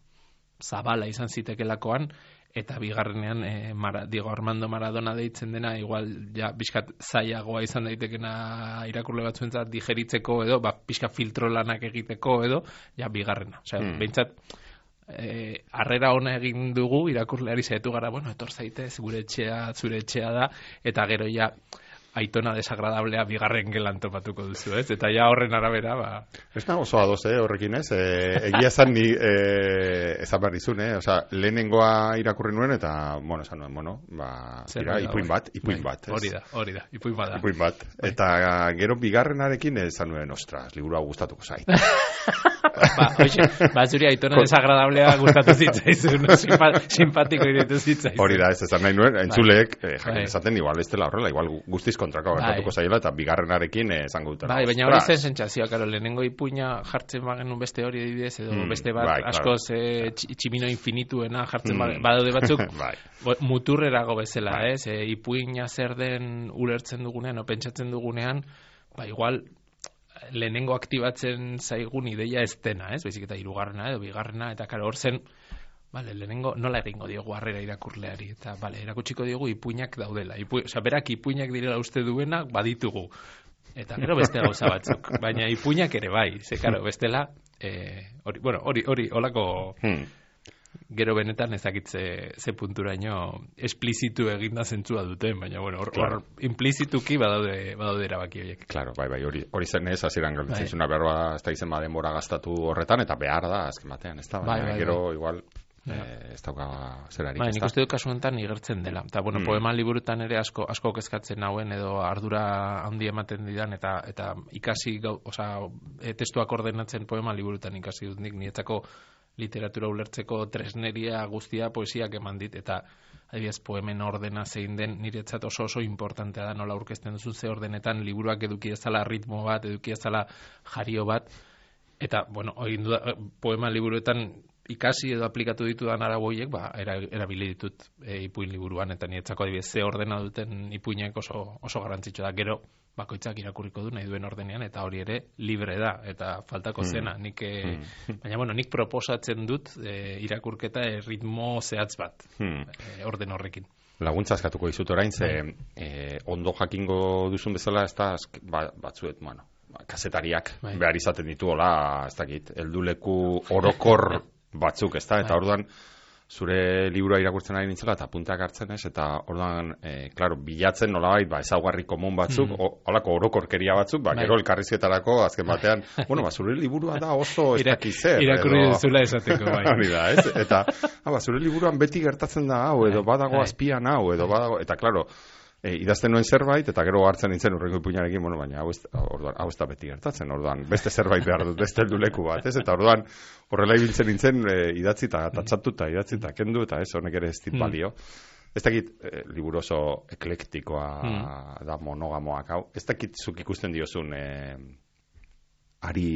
zabala izan zitekelakoan, eta bigarrenean e, Mara, Diego Armando Maradona deitzen dena, igual, ja, pixkat zailagoa izan daitekena irakurle batzuentzat digeritzeko edo, ba, pixkat filtro lanak egiteko edo, ja, bigarrena. Osea, hmm. behintzat, e, arrera ona egin dugu, irakurleari zaitu gara, bueno, etor zaitez, gure etxea, zure etxea da, eta gero ja, aitona desagradablea bigarren gelan topatuko duzu, ez? Eta ja horren arabera, ba...
Ez nago oso adoz, eh, horrekin, ez? E, egia zan ni, e, ezan behar dizun, eh? Osa, lehenengoa irakurri nuen, eta, bueno, esan nuen, bueno, ba, ira, ipuin bat, ipuin bat, ez?
Hori da, hori da, ipuin bat da.
Ipuin bat. Bai. Eta gero bigarrenarekin esan nuen, ostras, liburua gustatuko zait.
ba, oixe, ba, zuri aitona desagradablea gustatu zitzaizun, simpatiko iritu zitzaizun.
Hori da, ez esan nahi nuen, entzuleek, eh, jakin esaten, igual ez dela horrela, igual guztiz kontrako gertatuko zaila, eta bigarrenarekin esango dutela.
Bai, baina hori zen sentsazioa, karo, lehenengo ipuina jartzen bagenu beste hori adibidez, edo mm, beste bat bai, askoz claro. e, tximino infinituena jartzen mm. badaude batzuk, bai. muturrerago bezala, bai. Ez? E, ipuina zer den ulertzen dugunean, o pentsatzen dugunean, ba, igual, lehenengo aktibatzen zaigun ideia ez dena, ez? Baizik eta hirugarrena edo bigarrena, eta karo, hor zen, vale, lehenengo nola egingo diogu harrera irakurleari, eta vale, erakutsiko diogu ipuinak daudela. Ipu, oza, berak ipuinak direla uste duenak baditugu. Eta gero beste gauza batzuk. Baina ipuinak ere bai, ze karo, bestela, eh, hori, bueno, hori, hori, holako hmm. gero benetan ezakitze ze punturaino esplizitu eginda zentzua duten, baina bueno, hor, claro. hor implizituki badaude, badaude erabaki horiek.
Claro, bai, bai, hori, hori zen ez, hasieran galtzen zuna berba, ez da izen denbora gastatu horretan, eta behar da, azken batean, ez da, baina bai, bai, gero bai. Igual... Eh, ez dauka zerarik.
Ba, nik uste dut kasu honetan igertzen dela. Eta, bueno, mm. poema liburutan ere asko, asko kezkatzen nauen edo ardura handi ematen didan, eta eta ikasi, gau, oza, e, testuak ordenatzen poema liburutan ikasi dut nik, nietzako literatura ulertzeko tresneria guztia poesiak eman dit, eta adibidez poemen ordena zein den niretzat oso oso importantea da nola aurkezten duzu ze ordenetan liburuak eduki ezala ritmo bat, eduki ezala jario bat, eta, bueno, egin du poema liburuetan ikasi edo aplikatu ditudan araboiek, ba, erabili ditut e, ipuin liburuan, eta niretzako adibidez ze ordena duten ipuinek oso, oso garrantzitsua da. Gero, bakoitzak irakurriko du nahi duen ordenean, eta hori ere libre da, eta faltako zena. Mm. Nik, e, mm. Baina, bueno, nik proposatzen dut e, irakurketa e, ritmo zehatz bat, mm. e, orden horrekin.
Laguntza eskatuko dizut orain, ze e, ondo jakingo duzun bezala, ez da, ba, batzuet, bueno, kazetariak bai. Behar izaten ditu, hola, ez dakit, helduleku orokor batzuk, ez da, eta bai. Orduan, zure liburua irakurtzen ari nintzela, eta puntak hartzen ez, eta orduan, e, klaro, bilatzen nolabait, ba, ezaugarri komun batzuk, mm. holako orokorkeria batzuk, ba, bai. Gero elkarrizketarako, azken batean, bueno, ba, zure liburua da oso ez dakizer.
Irakurri duzula esateko, bai.
Hori da, ez? Eta, ah, ba, zure liburuan beti gertatzen da hau, edo badago azpian hau, edo badago, eta klaro, E, idazten nuen zerbait, eta gero hartzen nintzen urrengo ipuinarekin, bueno, baina hau ez, orduan, hau ez da beti gertatzen, orduan, beste zerbait behar dut, beste helduleku bat, ez? Eta orduan, horrela ibiltzen nintzen, e, idatzi eta tatxatuta, idatzi eta kendu, eta ez, honek ere ez dit balio. Mm. Ez dakit, e, liburu oso eklektikoa mm. da monogamoak, hau, ez dakit zuk ikusten diozun, e, ari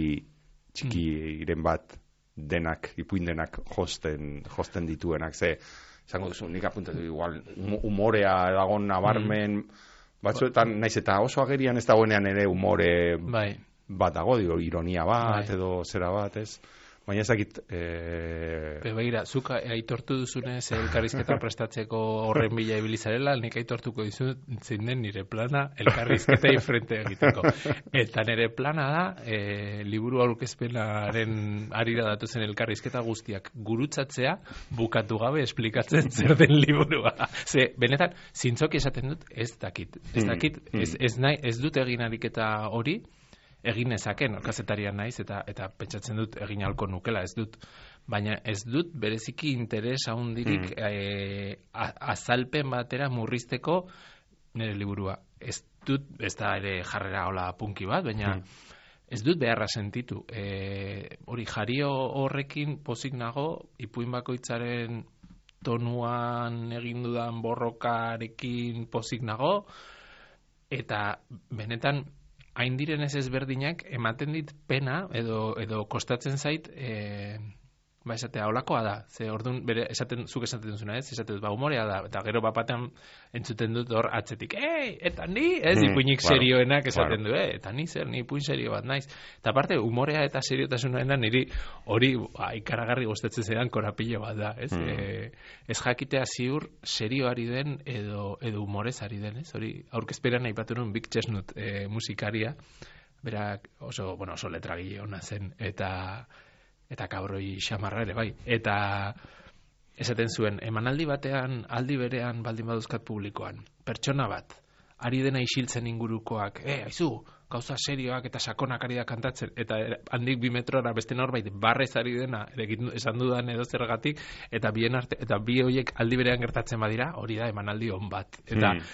txikiren bat denak, ipuin denak josten, josten dituenak, ze, zango duzu, nik apuntatu igual, umorea dagoen nabarmen, mm. batzuetan, naiz eta oso agerian ez dagoenean ere umore bai. Bat dago, digo, ironia bat, bai. Edo zera bat, ez? Baina ezakit... E...
Begira, zuk aitortu duzunez elkarrizketa prestatzeko horren bila ibilizarela, nik aitortuko dizut zein den nire plana elkarrizketei frente egiteko. Eta nire plana da, e, liburu aurkezpenaren arira datu zen elkarrizketa guztiak gurutzatzea, bukatu gabe esplikatzen zer den liburua. Ze, benetan, zintzoki esaten dut, ez dakit. Ez dakit, mm, mm. Ez, ez, nahi, ez dut egin ariketa hori, egin ezaken, kazetarian naiz, eta eta pentsatzen dut egin halko nukela, ez dut, baina ez dut bereziki interes handirik mm. e, azalpen batera murrizteko nire liburua. Ez dut, ez da ere jarrera hola punki bat, baina mm. ez dut beharra sentitu. E, hori jario horrekin pozik nago, ipuin bakoitzaren tonuan egin dudan borrokarekin pozik nago, eta benetan hain direnez ezberdinak ematen dit pena edo edo kostatzen zait e, ba esatea holakoa da. Ze ordun bere esaten zuk esaten duzuna, ez? Esaten ba umorea da eta gero bapatean entzuten dut hor atzetik. Ei, eta ni, ez mm, ipuinik claro, serioenak esaten claro. Du, eh, eta ni zer, ni ipuin serio bat naiz. Eta aparte umorea eta seriotasunena niri hori ba, ikaragarri gustatzen zaidan korapilo bat da, ez? Mm. E, ez jakitea ziur serioari den edo edo umorez ari den, ez? Hori aurkezperan aipatu nuen Big Chestnut e, musikaria. Berak oso, bueno, oso letragile ona zen eta eta kabroi xamarra ere bai. Eta esaten zuen, emanaldi batean, aldi berean baldin baduzkat publikoan, pertsona bat, ari dena isiltzen ingurukoak, eh, aizu, gauza serioak eta sakonak ari da kantatzen, eta handik bi metrora beste norbait barrez ari dena, esan dudan edo zergatik, eta bien arte, eta bi horiek aldi berean gertatzen badira, hori da emanaldi on bat. Eta mm.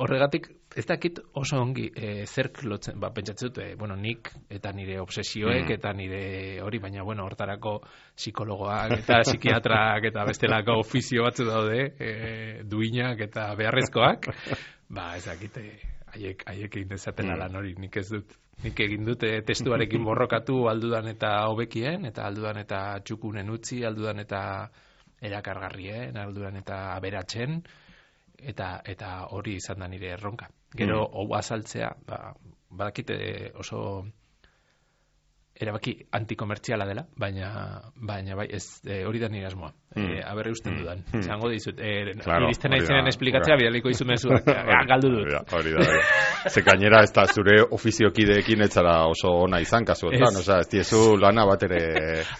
horregatik, ez dakit oso ongi e, zerk lotzen, ba, pentsatzen dut, e, bueno, nik eta nire obsesioek mm. eta nire hori, baina, bueno, hortarako psikologoak eta psikiatrak eta bestelako ofizio batzu daude, e, duinak eta beharrezkoak, ba, ez dakit, haiek, haiek egin dezaten mm. alan hori, nik ez dut. Nik egin dute testuarekin borrokatu aldudan eta hobekien, eta aldudan eta txukunen utzi, aldudan eta erakargarrien, aldudan eta aberatzen, eta eta hori izan da nire erronka. Gero, hau mm. azaltzea, ba, badakite oso erabaki antikomertziala dela, baina baina bai, ez e, hori da nire asmoa. Mm. E, aberri usten dudan. Mm. Zango dizut, e, claro, iristen naizenen esplikatzea, bidaliko izu mezuak, galdu dut.
Hori da, hori da. Ze gainera, ez da zure ofiziokideekin etzara oso ona izan, kasuetan, oza, ez diezu lana bat ere...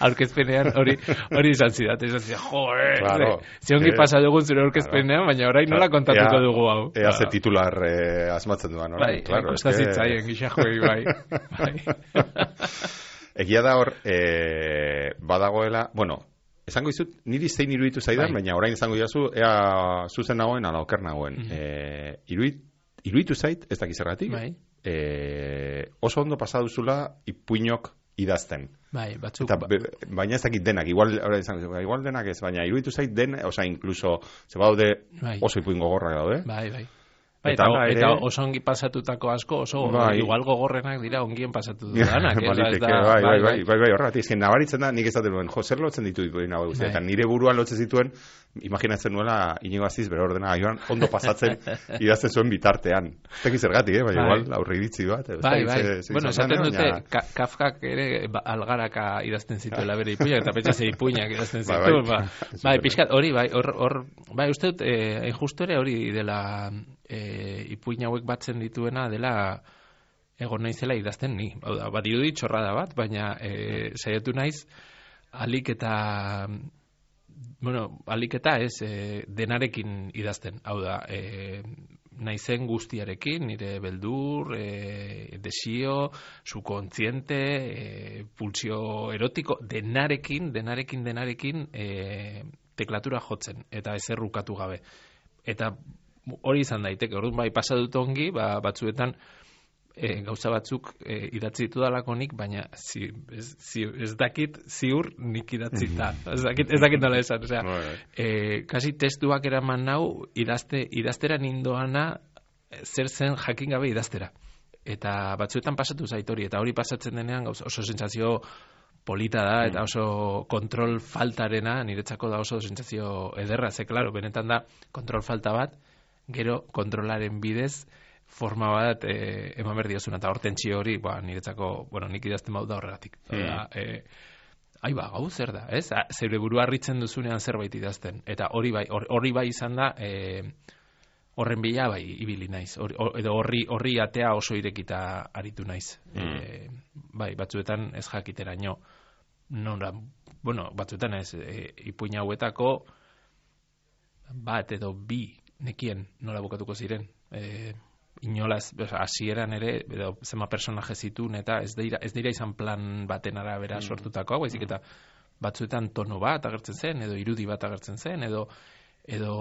Aurkezpenean, hori hori izan zidat, izan zidat, jo, eh, claro, ziongi eh, pasa dugun zure aurkezpenean, claro, baina orain nola kontatuko ea, dugu hau.
Ea ze titular eh, asmatzen duan,
orain, bai, claro. Bai, kostazitzaien, que... gixajoei, bai. bai.
Egia da hor, e, badagoela, bueno, esango izut, niri zein iruditu zaidan, bai. Baina orain izango diazu, ea zuzen nagoen, ala oker nagoen. Mm-hmm. e, iruit, iruditu zait, ez dakizergatik, bai. e, oso ondo pasaduzula ipuinok idazten.
Bai, batzuk...
Eta, be, baina ez dakit denak, igual, igual denak ez, baina iruditu zait den, oza, inkluso, ze badaude
bai.
oso ipuin gogorrak daude.
Bai, bai. Bai,
Eta,
eta,
ere,
eta oso ongi pasatutako asko, oso
bai.
igual gogorrenak dira ongien pasatu dudanak.
Baliteke, bai, bai, bai, bai, bai, horregatik, ezken nabaritzen da, nik ez dut duen, jo, zer lotzen ditu ipuin hau guztia, eta nire buruan lotzen zituen, imaginatzen nuela Iñigo Aziz bere ordena joan ondo pasatzen idazten zuen bitartean. Ez dakiz zergatik, eh? Baina igual aurre iritzi bat.
Bai, bai. Bueno, esaten dute, Kafkak ere algaraka idazten zituela bere ipuinak, eta pentsa ze ipuinak idazten zituen. Bai, pixkat, hori, bai, hor, bai, uste dut, justu ere hori dela ipuin hauek batzen dituena dela egon naizela idazten ni. Hau da, bat irudi txorrada bat, baina saiatu naiz alik eta bueno, alik eta ez e, denarekin idazten. Hau da, e, naizen guztiarekin, nire beldur, e, desio, subkontziente, e, pulsio erotiko, denarekin, denarekin, denarekin e, teklatura jotzen, eta ezer rukatu gabe. Eta hori izan daiteke, orduan bai pasadut ongi, ba, batzuetan e, gauza batzuk e, idatzi ditudalako nik, baina zi, ez, zi, ez dakit ziur nik idatzita. ez dakit, ez dakit nola esan. Osea, e, kasi testuak eraman nau idazte, idaztera nindoana zer zen jakin gabe idaztera. Eta batzuetan pasatu zait hori, eta hori pasatzen denean oso sentsazio polita da, eta oso kontrol faltarena, niretzako da oso sentsazio ederra, ze, klaro, benetan da kontrol falta bat, gero kontrolaren bidez forma bat e, eman behar diozuna, eta hortentzio hori, ba, niretzako, bueno, nik idazten bau da horregatik. Mm. E, Aiba, gau zer da, ez? Zeure burua harritzen duzunean zerbait idazten, eta hori bai, hori bai izan da, e, horren bila bai ibili naiz, or, or, edo horri, horri atea oso irekita aritu naiz. Mm. E, bai, batzuetan ez jakiteraino, nora, bueno, batzuetan ez, e, ipuin hauetako bat edo bi nekien nola bukatuko ziren. E, inolaz, hasieran ere, edo zema personaje zitun, eta ez dira, ez dira izan plan baten arabera sortutako, baizik eta batzuetan tono bat agertzen zen, edo irudi bat agertzen zen, edo edo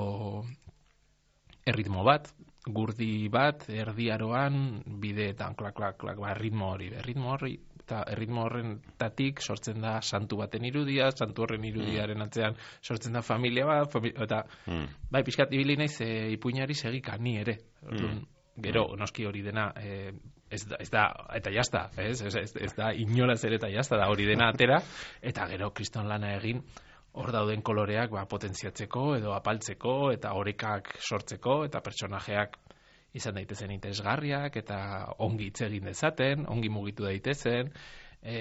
erritmo bat, gurdi bat, erdiaroan, bideetan, klak, klak, klak, ba, erritmo hori, erritmo hori, eta erritmo horrentatik sortzen da santu baten irudia, santu horren irudiaren atzean sortzen da familia bat, familia, eta mm. bai, pixkat ibili naiz e, ipuinari segika, ni ere. Mm. Gero, noski hori dena, e, ez, da, ez da, eta jazta, ez, ez, ez, ez da inolaz ere eta jazta da hori dena atera, eta gero kriston lana egin, hor dauden koloreak ba, potentziatzeko edo apaltzeko eta orekak sortzeko eta pertsonajeak izan daitezen interesgarriak eta ongi hitz egin dezaten, ongi mugitu daitezen, e,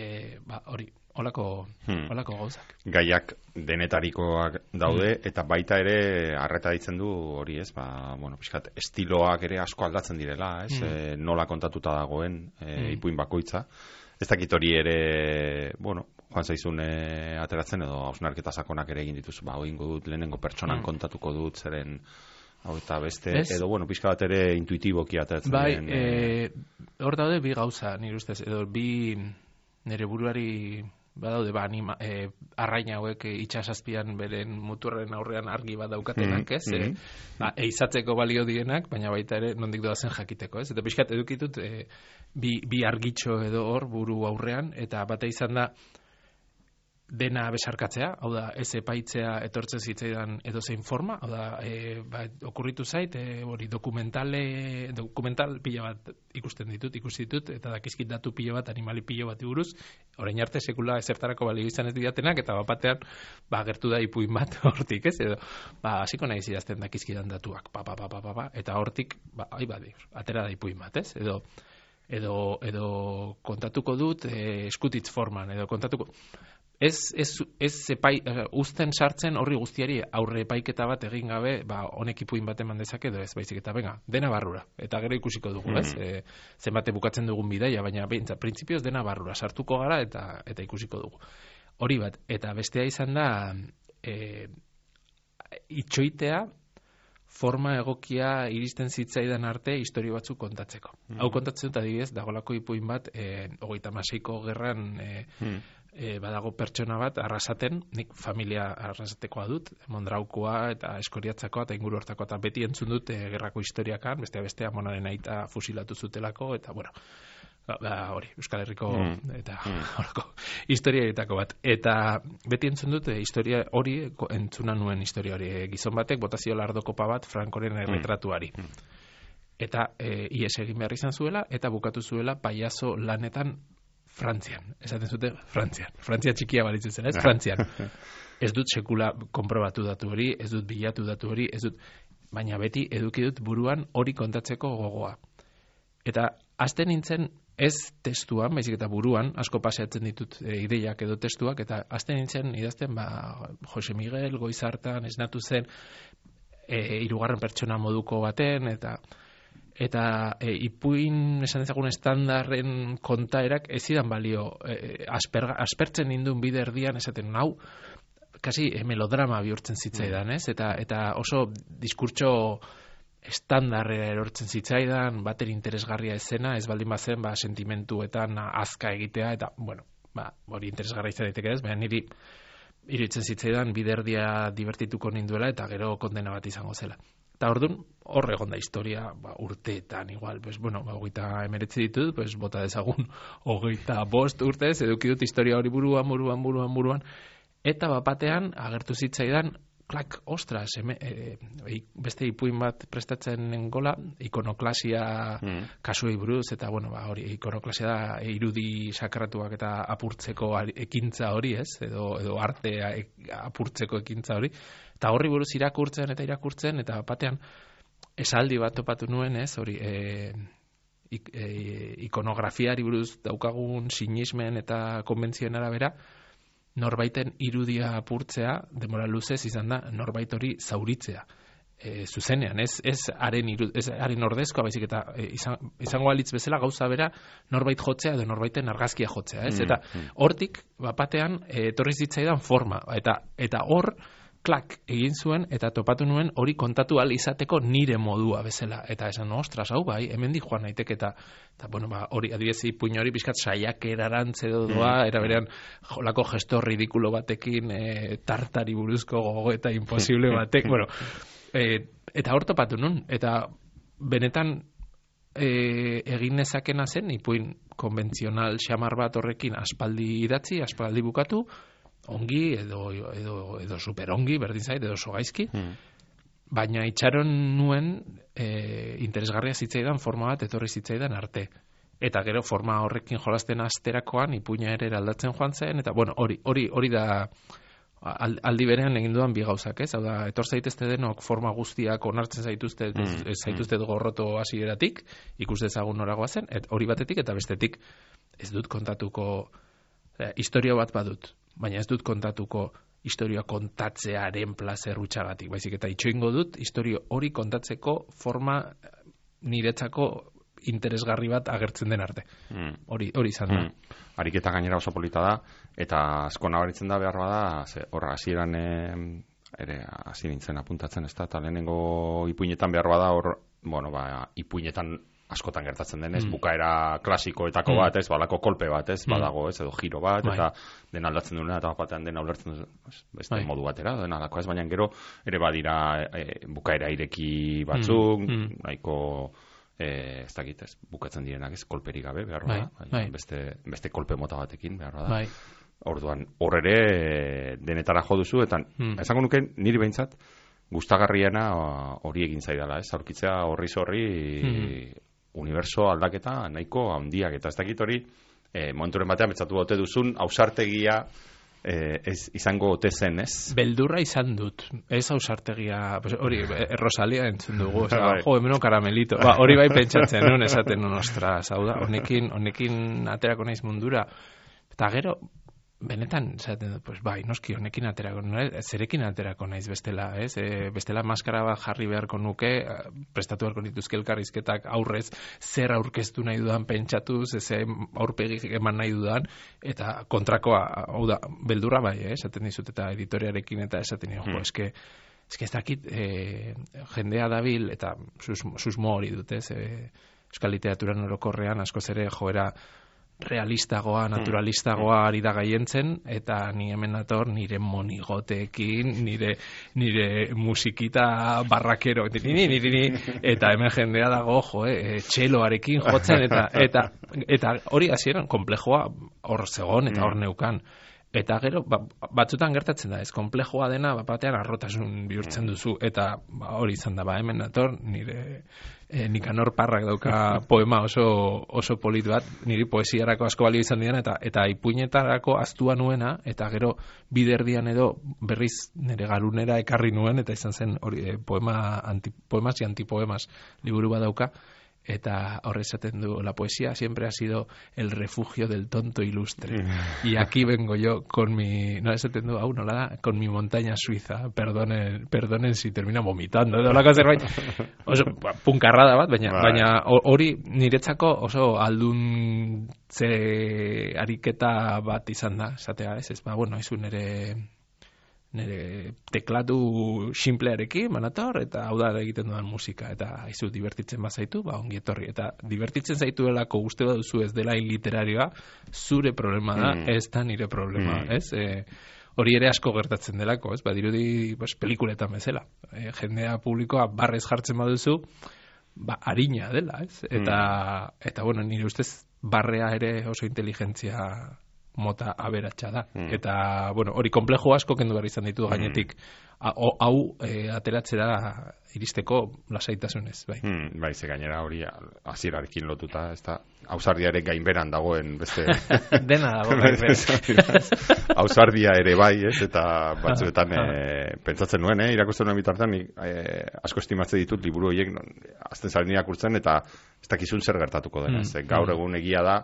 ba, hori, holako, hmm. holako gauzak.
Gaiak denetarikoak daude hmm. eta baita ere arreta ditzen du hori, ez? Ba, bueno, pixkat, estiloak ere asko aldatzen direla, ez? Hmm. E, nola kontatuta dagoen e, hmm. ipuin bakoitza. Ez dakit hori ere, bueno, joan zaizun e, ateratzen edo hausnarketa sakonak ere egin dituzu, ba, oingo dut, lehenengo pertsonan mm. kontatuko dut, zeren hau eta beste, es? Edo, bueno, pixka bat ere intuitiboki ateratzen.
Bai,
den,
e, hor daude bi gauza, nire ustez, edo bi nire buruari badaude, ba, anima, e, arraina hauek e, itxasazpian beren muturren aurrean argi bat daukatenak, mm, ez? Mm. E, ba, eizatzeko balio dienak, baina baita ere nondik doazen jakiteko, ez? Eta pixkat edukitut e, bi, bi argitxo edo hor buru aurrean, eta bate izan da dena besarkatzea, hau da, ez epaitzea etortzen zitzaidan edozein forma, hau da, e, ba, okurritu zait, e, hori dokumentale, dokumental pila bat ikusten ditut, ikusi ditut, eta dakizkit datu pila bat, animali pila bat buruz, orain arte sekula ezertarako balio izan ez didatenak, eta bapatean, ba, gertu da ipuin bat hortik, ez, edo, ba, hasiko nahi zidazten dakizkidan datuak, pa, pa, pa, pa, pa, pa, eta hortik, ba, ai, ba, atera da ipuin bat, ez, edo, edo, edo kontatuko dut, e, eskutitz forman, edo kontatuko, Ez, ez, ez epai, uzten sartzen horri guztiari aurre epaiketa bat egin gabe, ba, honek ipuin bat eman dezake edo ez, baizik eta benga, dena barrura, eta gero ikusiko dugu, ez? Mm. E, zenbate bukatzen dugun bidaia, baina behintzat, printzipioz dena barrura, sartuko gara eta eta ikusiko dugu. Hori bat, eta bestea izan da, e, itxoitea, forma egokia iristen zitzaidan arte historio batzuk kontatzeko. Mm. Hau kontatzen dut adibidez, dagolako ipuin bat, e, hogeita hamaseiko gerran, e, mm. E, badago pertsona bat arrasaten, nik familia arrasatekoa dut, Mondraukoa eta Eskoriatzakoa eta inguru hortakoa, eta beti entzun dut e, gerrako historiakan, bestea bestea amonaren aita fusilatu zutelako, eta bueno, Da, hori, Euskal Herriko
Mm.
eta
Mm.
horko historiaetako bat. Eta beti entzun dut, eh, historia hori, ko- entzuna nuen historia hori. Eh, gizon batek botazio lardokopa bat Frankoren erretratuari. Eta eh, ies egin behar izan zuela, eta bukatu zuela paiazo lanetan Frantzian. Esaten zute, Frantzian. Frantzia txikia balitzu zela, ez? Frantzian. Ez dut sekula konprobatu datu hori, ez dut bilatu datu hori, ez dut, baina beti eduki dut buruan hori kontatzeko gogoa. Eta hasten nintzen ez testuan, baizik eta buruan, asko paseatzen ditut e, ideiak edo testuak, eta hasten nintzen idazten, ba, Jose Miguel Goizartan esnatu zen e, hirugarren pertsona moduko baten, eta eta e, ipuin esan dezagun estandarren kontaerak ez zidan balio e, asper, aspertzen nindun bide erdian esaten nau kasi e, melodrama bihurtzen zitzaidan, ez? Eta, eta oso diskurtso estandarrera erortzen zitzaidan, bater interesgarria ezena, ez baldin bazen, ba, sentimentuetan azka egitea, eta, bueno, ba, hori interesgarria izan daiteke ez, baina niri iruditzen zitzaidan biderdia divertituko ninduela, eta gero kondena bat izango zela. Eta orduan, hor egon da historia, ba, urteetan, igual, pues, bueno, ba, hogeita emeretzi ditut, pues, bota dezagun, hogeita bost urtez, eduki dut historia hori buruan, buruan, buruan, buruan, eta bapatean, agertu zitzaidan, klak, ostras, eme, e, e, beste ipuin bat prestatzen nengola, ikonoklasia mm. kasuei buruz, eta, bueno, ba, hori, ikonoklasia da irudi sakratuak eta apurtzeko ari, ekintza hori, ez? Edo, edo artea e, apurtzeko ekintza hori. Eta horri buruz irakurtzen eta irakurtzen, eta batean esaldi bat topatu nuen, ez? Hori, e, ik, e, ikonografiari buruz daukagun sinismen eta konbentzioen arabera, norbaiten irudia apurtzea, demora luzez izan da, norbait hori zauritzea. E, zuzenean, ez, ez haren irud, ez haren ordezkoa, baizik eta e, izan, izango alitz bezala gauza bera norbait jotzea edo norbaiten argazkia jotzea, ez? Eta hortik, bapatean, e, etorri zitzaidan forma, eta eta hor, klak egin zuen, eta topatu nuen hori kontatu ahal izateko nire modua bezala. Eta esan, ostras, hau bai, hemendik joan naiteke, eta, eta bueno, ba, hori, adibidez, ipuin hori bizkat saiak erarantze doa, era berean, jolako gesto ridikulo batekin, e, tartari buruzko gogo eta imposible batek, bueno, e, eta hor topatu nun, eta benetan e, egin nezakena zen, ipuin konbentzional xamar bat horrekin aspaldi idatzi, aspaldi bukatu, ongi edo, edo, edo super ongi, berdin zait, edo oso gaizki, mm. baina itxaron nuen e, interesgarria zitzaidan forma bat etorri zitzaidan arte. Eta gero forma horrekin jolasten asterakoan ipuina ere aldatzen joan zen, eta bueno, hori, hori, hori da aldi berean egin dudan bi gauzak, ez? Hau da, etor zaitezte denok forma guztiak onartzen zaituzte, mm. zaituzte gorroto hasieratik, ikus dezagun noragoa zen, et, hori batetik eta bestetik ez dut kontatuko eh, historia bat badut. Baina ez dut kontatuko historia kontatzearen plazer hutxagatik, baizik eta itxoingo dut historia hori kontatzeko forma niretzako interesgarri bat agertzen den arte. Mm. Hori, hori izan da.
Mm. Ariketa gainera oso polita da, eta asko nabaritzen da behar bada, ze, horra, hasieran ere hasi nintzen apuntatzen, ez da, eta lehenengo ipuinetan behar bada, hor, bueno, ba, ipuinetan askotan gertatzen denez, mm. bukaera klasikoetako mm. bat, ez, balako kolpe bat, ez, mm. badago, ez, edo giro bat, bai. Eta den aldatzen duena, eta batean den ulertzen du, beste bai. Modu batera, den alako, ez, baina gero, ere badira e, bukaera ireki batzuk, mm. nahiko, e, ez dakit, ez, bukatzen direnak, ez, kolperi gabe, behar bada, bai. Bai. Beste, beste kolpe mota batekin, behar bada. Bai. Orduan, hor ere, denetara jo duzu, eta mm. esango nuke, niri behintzat, gustagarriena hori egin zaidala, ez, aurkitzea horri zorri, mm. uniberso aldaketa nahiko handiak, eta ez dakit hori e, momenturen batean betzatu ote duzun ausartegia e, ez, izango ote zen, ez?
Beldurra izan dut, ez ausartegia pues, hori, Rosalia entzun dugu, oza, bai. Jo, hemeno karamelito, ba, hori bai pentsatzen nun, esaten nun, ostras, hau da, honekin, honekin aterako naiz mundura, eta gero benetan, zaten, pues bai, noski honekin aterako, zerekin aterako naiz bestela, ez? E, bestela maskara bat jarri beharko nuke, prestatu beharko nituzke elkarrizketak aurrez, zer aurkeztu nahi dudan pentsatuz, ez aurpegi eman nahi dudan, eta kontrakoa, hau da, beldurra bai, eh? Esaten dizut, eta editorearekin, eta esaten dizut, hmm. jo, eske, eske ez dakit, e, jendea dabil, eta sus, susmo hori dut, ez? E, Euskal literaturan orokorrean, askoz ere joera realistagoa, naturalistagoa ari da gaientzen, eta ni hemen nator nire monigoteekin, nire nire musikita barrakero, niri, niri, niri, eta hemen jendea dago, jo, eh, txeloarekin jotzen, eta eta eta hori hasieran konplejoa hor zegon, eta hor neukan. Eta gero, ba, batzutan gertatzen da, ez konplejoa dena, bat batean arrotasun bihurtzen duzu, eta ba, hori izan da, ba, hemen nator, nire e, Nikanor Parrak dauka poema oso, oso polit bat, niri poesiarako asko balio izan dian, eta eta ipuinetarako aztua nuena, eta gero biderdian edo berriz nire garunera ekarri nuen, eta izan zen hori, e, poema, anti, poemas y antipoemas liburu bat dauka, eta horre esaten du, la poesía siempre ha sido el refugio del tonto ilustre. Y aquí vengo yo con mi, no esaten du, hau nola da, con mi montaña suiza, perdonen, perdonen si termina vomitando, edo lako zerbait. Oso, punkarrada bat, baina, baina hori niretzako oso alduntze ariketa bat izan da, esatea, ez, ez, ba, bueno, ez un ere... nire teklatu simplearekin manator, eta hau da egiten dudan musika, eta izu divertitzen bazaitu, ba ongi etorri, eta divertitzen zaituelako uste baduzu ez dela literarioa, zure problema da, mm. ez da nire problema, mm. ez? E, hori ere asko gertatzen delako, ez? Badirudi, pues, pelikuletan bezala, e, jendea publikoa barrez jartzen baduzu, ba, harina dela, ez? Eta, mm. eta bueno, nire ustez barrea ere oso inteligentzia mota aberatsa da. Mm. Eta, bueno, hori konplejo asko kendu behar izan ditu gainetik. Hau mm. e, ateratzera iristeko lasaitasunez, bai.
Mm, bai, ze gainera hori hasierarekin lotuta, ez da, ausardiaren gainberan dagoen beste...
Dena dago gainberan.
Ausardia ere bai, ez, eta batzuetan e, pentsatzen nuen, eh, irakusten nuen bitartean, e, asko estimatzen ditut liburu horiek, azten zaren irakurtzen, eta ez dakizun zer gertatuko dena. Mm. Gaur egun egia da,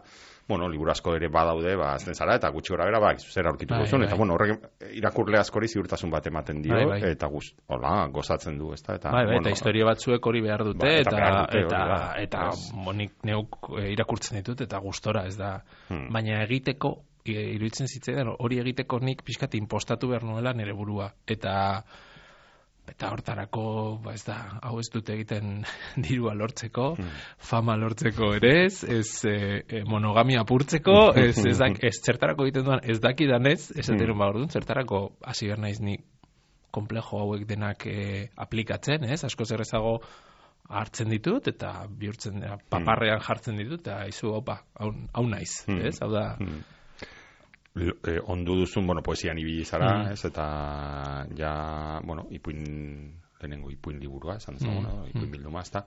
bueno, liburu asko ere badaude, ba, azten zara, eta gutxi gora bera, ba, zer aurkituko zuen, eta, bueno, horrek irakurle askori ziurtasun bat ematen dio, bai, bai. Eta guz, hola, gozatzen du, ez da, eta...
Bai, bai,
bueno,
eta historia batzuek hori behar dute,
ba, eta,
eta,
behar dute,
eta,
da,
eta, eta monik neuk irakurtzen ditut, eta gustora, ez da, hmm. baina egiteko, iruditzen zitzaidan, hori egiteko nik pixkat impostatu behar nuela nire burua, eta... Eta hortarako, ba ez da, hau ez dute egiten dirua lortzeko, mm. fama lortzeko ere ez, ez e, monogamia apurtzeko, ez, ez, dak, ez zertarako egiten duan, ez dakidanez, ez eteron mm. ba orduan, zertarako hasi behar naiz ni komplejo hauek denak e, aplikatzen, ez, asko zerrezago hartzen ditut, eta bihurtzen, paparrean jartzen ditut, eta izu, opa, hau, hau naiz, mm. ez, hau da... Mm.
Eh, ondu duzun, bueno, poesian ibili zara, mm. ez, eta ja, bueno, ipuin, lehenengo ipuin liburua, esan dezagun, mm. no? Ipuin bilduma, ez da,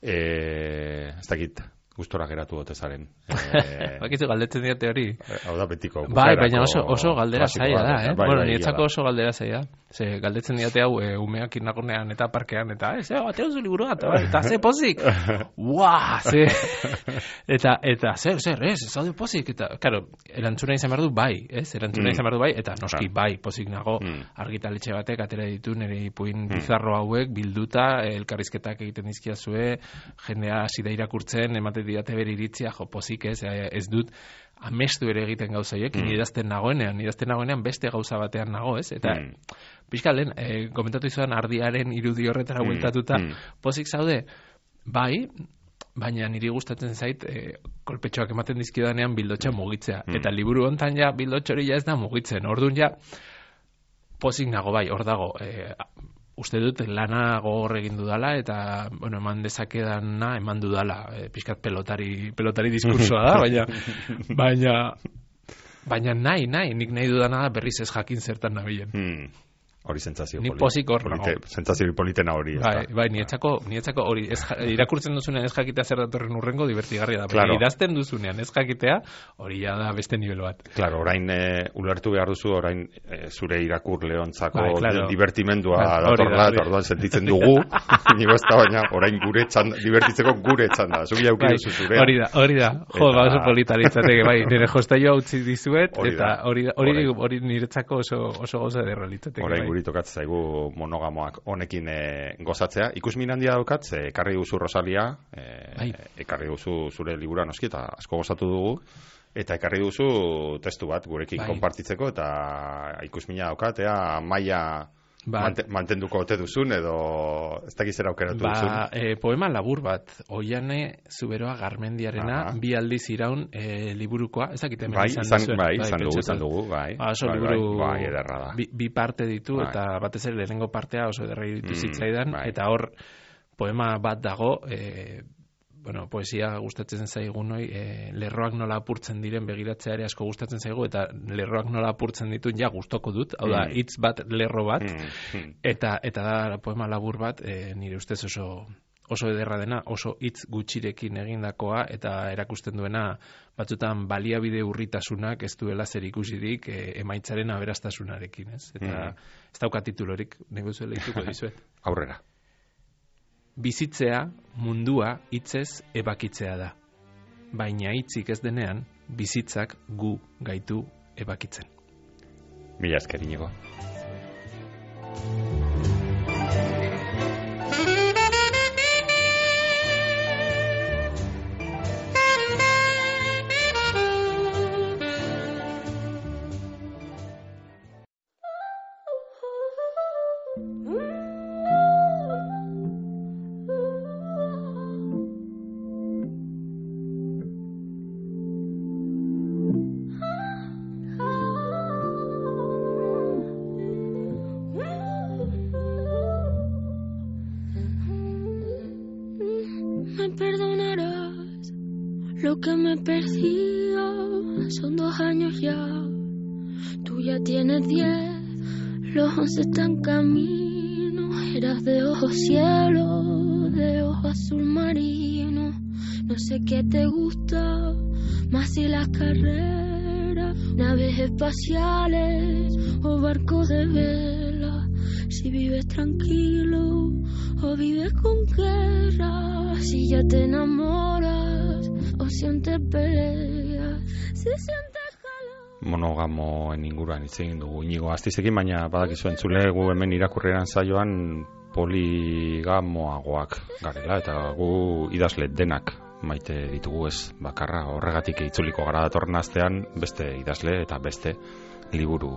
eh, ez dakit, gustora geratu gote zaren.
Eh, Bakizu galdetzen diate hori.
Hau da betiko.
Bai, baina oso, oso galdera zaila da, eh? Bai, bueno, niretzako oso galdera zaila. Ze, galdetzen diate hau, e, umeak inagonean eta parkean, eta, ez, eh, atera zu liburua, eta, eta ze pozik. Ua, ze. Eta, eta, zer, zer, ez, ez hau pozik. Eta, karo, erantzuna izan behar du bai, ez? Erantzuna mm. izan behar du bai, eta noski bai, pozik nago, mm. argitaletxe batek atera ditu nire ipuin mm. bizarro hauek, bilduta, elkarrizketak egiten dizkiazue, jendea hasi da irakurtzen, ematen didate bere iritzia, jo, pozik ez, ez dut, amestu ere egiten gauza horiek, mm. idazten nagoenean, idazten nagoenean beste gauza batean nago, ez? Eta, mm. pixka lehen, e, komentatu izan ardiaren irudi horretara bueltatuta, mm. pozik zaude, bai, baina niri gustatzen zait, e, kolpetxoak ematen dizkidanean bildotxa mugitzea. Mm. Eta liburu hontan ja, bildotxo hori ja ez da mugitzen. Orduan ja, pozik nago, bai, hor dago, e, uste dut lana gogor egin dudala, eta, bueno, eman dezakedana eman dudala, e, pixkat pelotari, pelotari diskursoa da, baina, baina, baina nahi, nahi, nik nahi dudana da berriz ez jakin zertan nabilen.
Hmm. Hori sentsazio
polite. Ni pozik hor
nago. Sentsazio politena hori.
Bai, bai, nietzako, nietzako hori, ez, irakurtzen duzunean ez jakitea zer datorren urrengo divertigarria da. Claro. Idazten duzunean ez jakitea, hori ja da beste nivel bat.
Claro, orain e, ulertu behar duzu, orain e, zure irakurleontzako bai, claro. divertimendua bai, datorla, eta orduan sentitzen dugu, nigo ez da, baina orain gure txanda, divertitzeko gure txanda. Zubi hauki duzu zurea.
Hori da, hori da. Jo, eta... oso polita litzateke, bai, nire jostaioa utzi dizuet, eta hori, hori, hori niretzako oso, oso goza derra litzateke.
Orain guri tokatzen zaigu monogamoak honekin e, gozatzea. Ikusmin handia daukat, ze ekarri duzu Rosalia, e, bai. ekarri duzu zure libura noski, eta asko gozatu dugu, eta ekarri duzu testu bat gurekin bai. konpartitzeko, eta ikusmina daukat, ea maila
Ba,
Mante, mantenduko ote duzun edo ez dakiz zer aukeratu
ba,
duzun.
E, poema labur bat, Oiane Zuberoa Garmendiarena,
Aha.
bi aldiz iraun e, liburukoa, ez dakit hemen
Bai,
izan
izan,
duzuen.
bai, izan dugu,
pentsatu.
izan dugu, bai.
Ba, oso
bai,
liburu
bai, bai, ederra da.
bi, bi parte ditu,
Bai.
eta batez ere lehenengo partea oso ederra iruditu
Mm,
zitzaidan,
bai.
eta hor poema bat dago, e, bueno, poesia gustatzen zaigun hoi, e, lerroak nola apurtzen diren begiratzea ere asko gustatzen zaigu, eta lerroak nola apurtzen dituen ja gustoko dut, hau da,
Mm.
hitz bat, lerro bat,
Mm, mm.
eta eta da poema labur bat, e, nire ustez oso oso ederra dena, oso hitz gutxirekin egindakoa, eta erakusten duena batzutan baliabide urritasunak ez duela zer ikusirik e, emaitzaren aberastasunarekin, ez? Eta
Mm.
ez dauka titulorik, nego zuela ituko dizuet.
Aurrera.
Bizitzea mundua hitzez ebakitzea da. Baina hitzik ez denean, bizitzak gu gaitu ebakitzen.
Mila esker, Inigo.
Me perdonarás lo que me persiga, son dos años ya, tú ya tienes diez, los once están camino, eras de ojos cielo, de ojos azul marino, no sé qué te gusta, más si las carreras, naves espaciales o barcos de vela, si vives tranquilo o vives con guerra, si ya te enamoras o sientes peleas, si sientes calor.
Monogamoen inguruan hitz egin dugu Inigo Astizekin, baina badakizu entzule gu hemen irakurrieran saioan poligamoagoak garela, eta gu idazle denak maite ditugu, ez bakarra, horregatik itzuliko gara datorren astean beste idazle eta beste liburu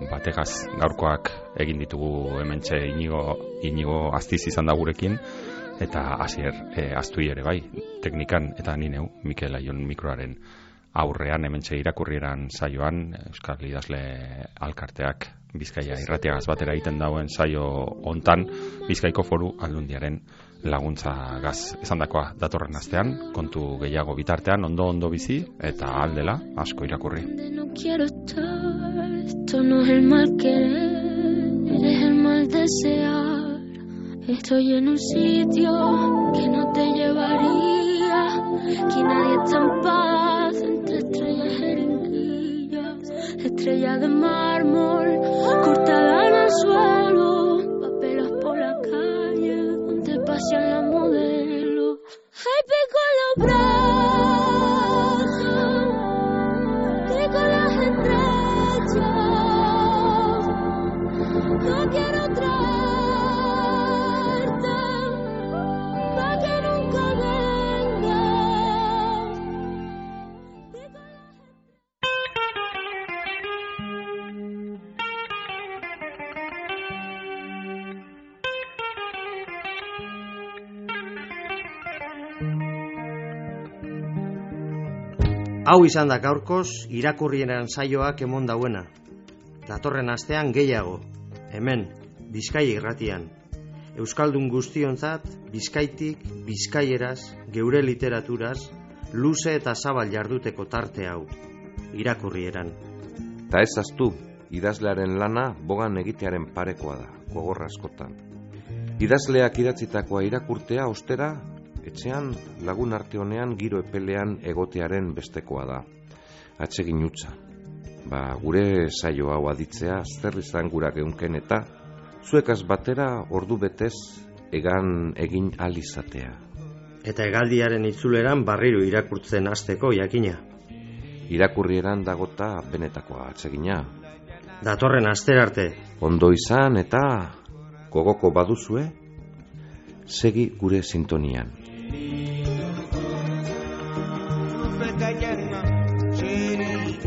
bategaz. Gaurkoak egin ditugu hementxe Inigo, Inigo Astiz izan da gurekin, eta Asier e, Aztui ere bai, teknikan, eta ni neu, Mikel Aion mikroaren aurrean hementxe irakurrieran saioan, Euskal Idazle Alkarteak Bizkaia irratiagaz batera egiten dauen saio hontan, Bizkaiko Foru Aldundiaren laguntzagaz. Esandakoa datorren astean, kontu gehiago bitartean, ondo ondo bizi eta aldela asko irakurri.
No quiero estar, esto no es el mal querer, es el mal desear. Estoy en un sitio que no te llevaría, que nadie está en paz, entre estrellas jeringuillas, estrellas de mármol, cortada en el suelo, papelas por la calle, donde pasean las modelos. Ay, pico en los brazos, pico en las estrellas, no quiero otra.
Hau izan da gaurkoz irakurrieran saioak emon dauena. Datorren astean gehiago, hemen, Bizkaia irratian. Euskaldun guztionzat, Bizkaitik, Bizkaieraz, geure literaturaz, luze eta zabal jarduteko tarte hau, irakurrieran.
Ta ez aztu, idazlearen lana bogan egitearen parekoa da, gogorra askotan. Idazleak idatzitakoa irakurtea ostera, etxean lagun arte honean giro epelean egotearen bestekoa da. Atsegin utza. Ba, gure saio hau aditzea zer izan gura geunken eta zuekaz batera ordu betez egan egin alizatea.
Eta hegaldiaren itzuleran barriro irakurtzen hasteko jakina.
Irakurrieran dagota benetakoa atsegina.
Datorren asterarte.
Ondo izan eta gogoko baduzue, segi gure sintonian.
Cayenne, chérie,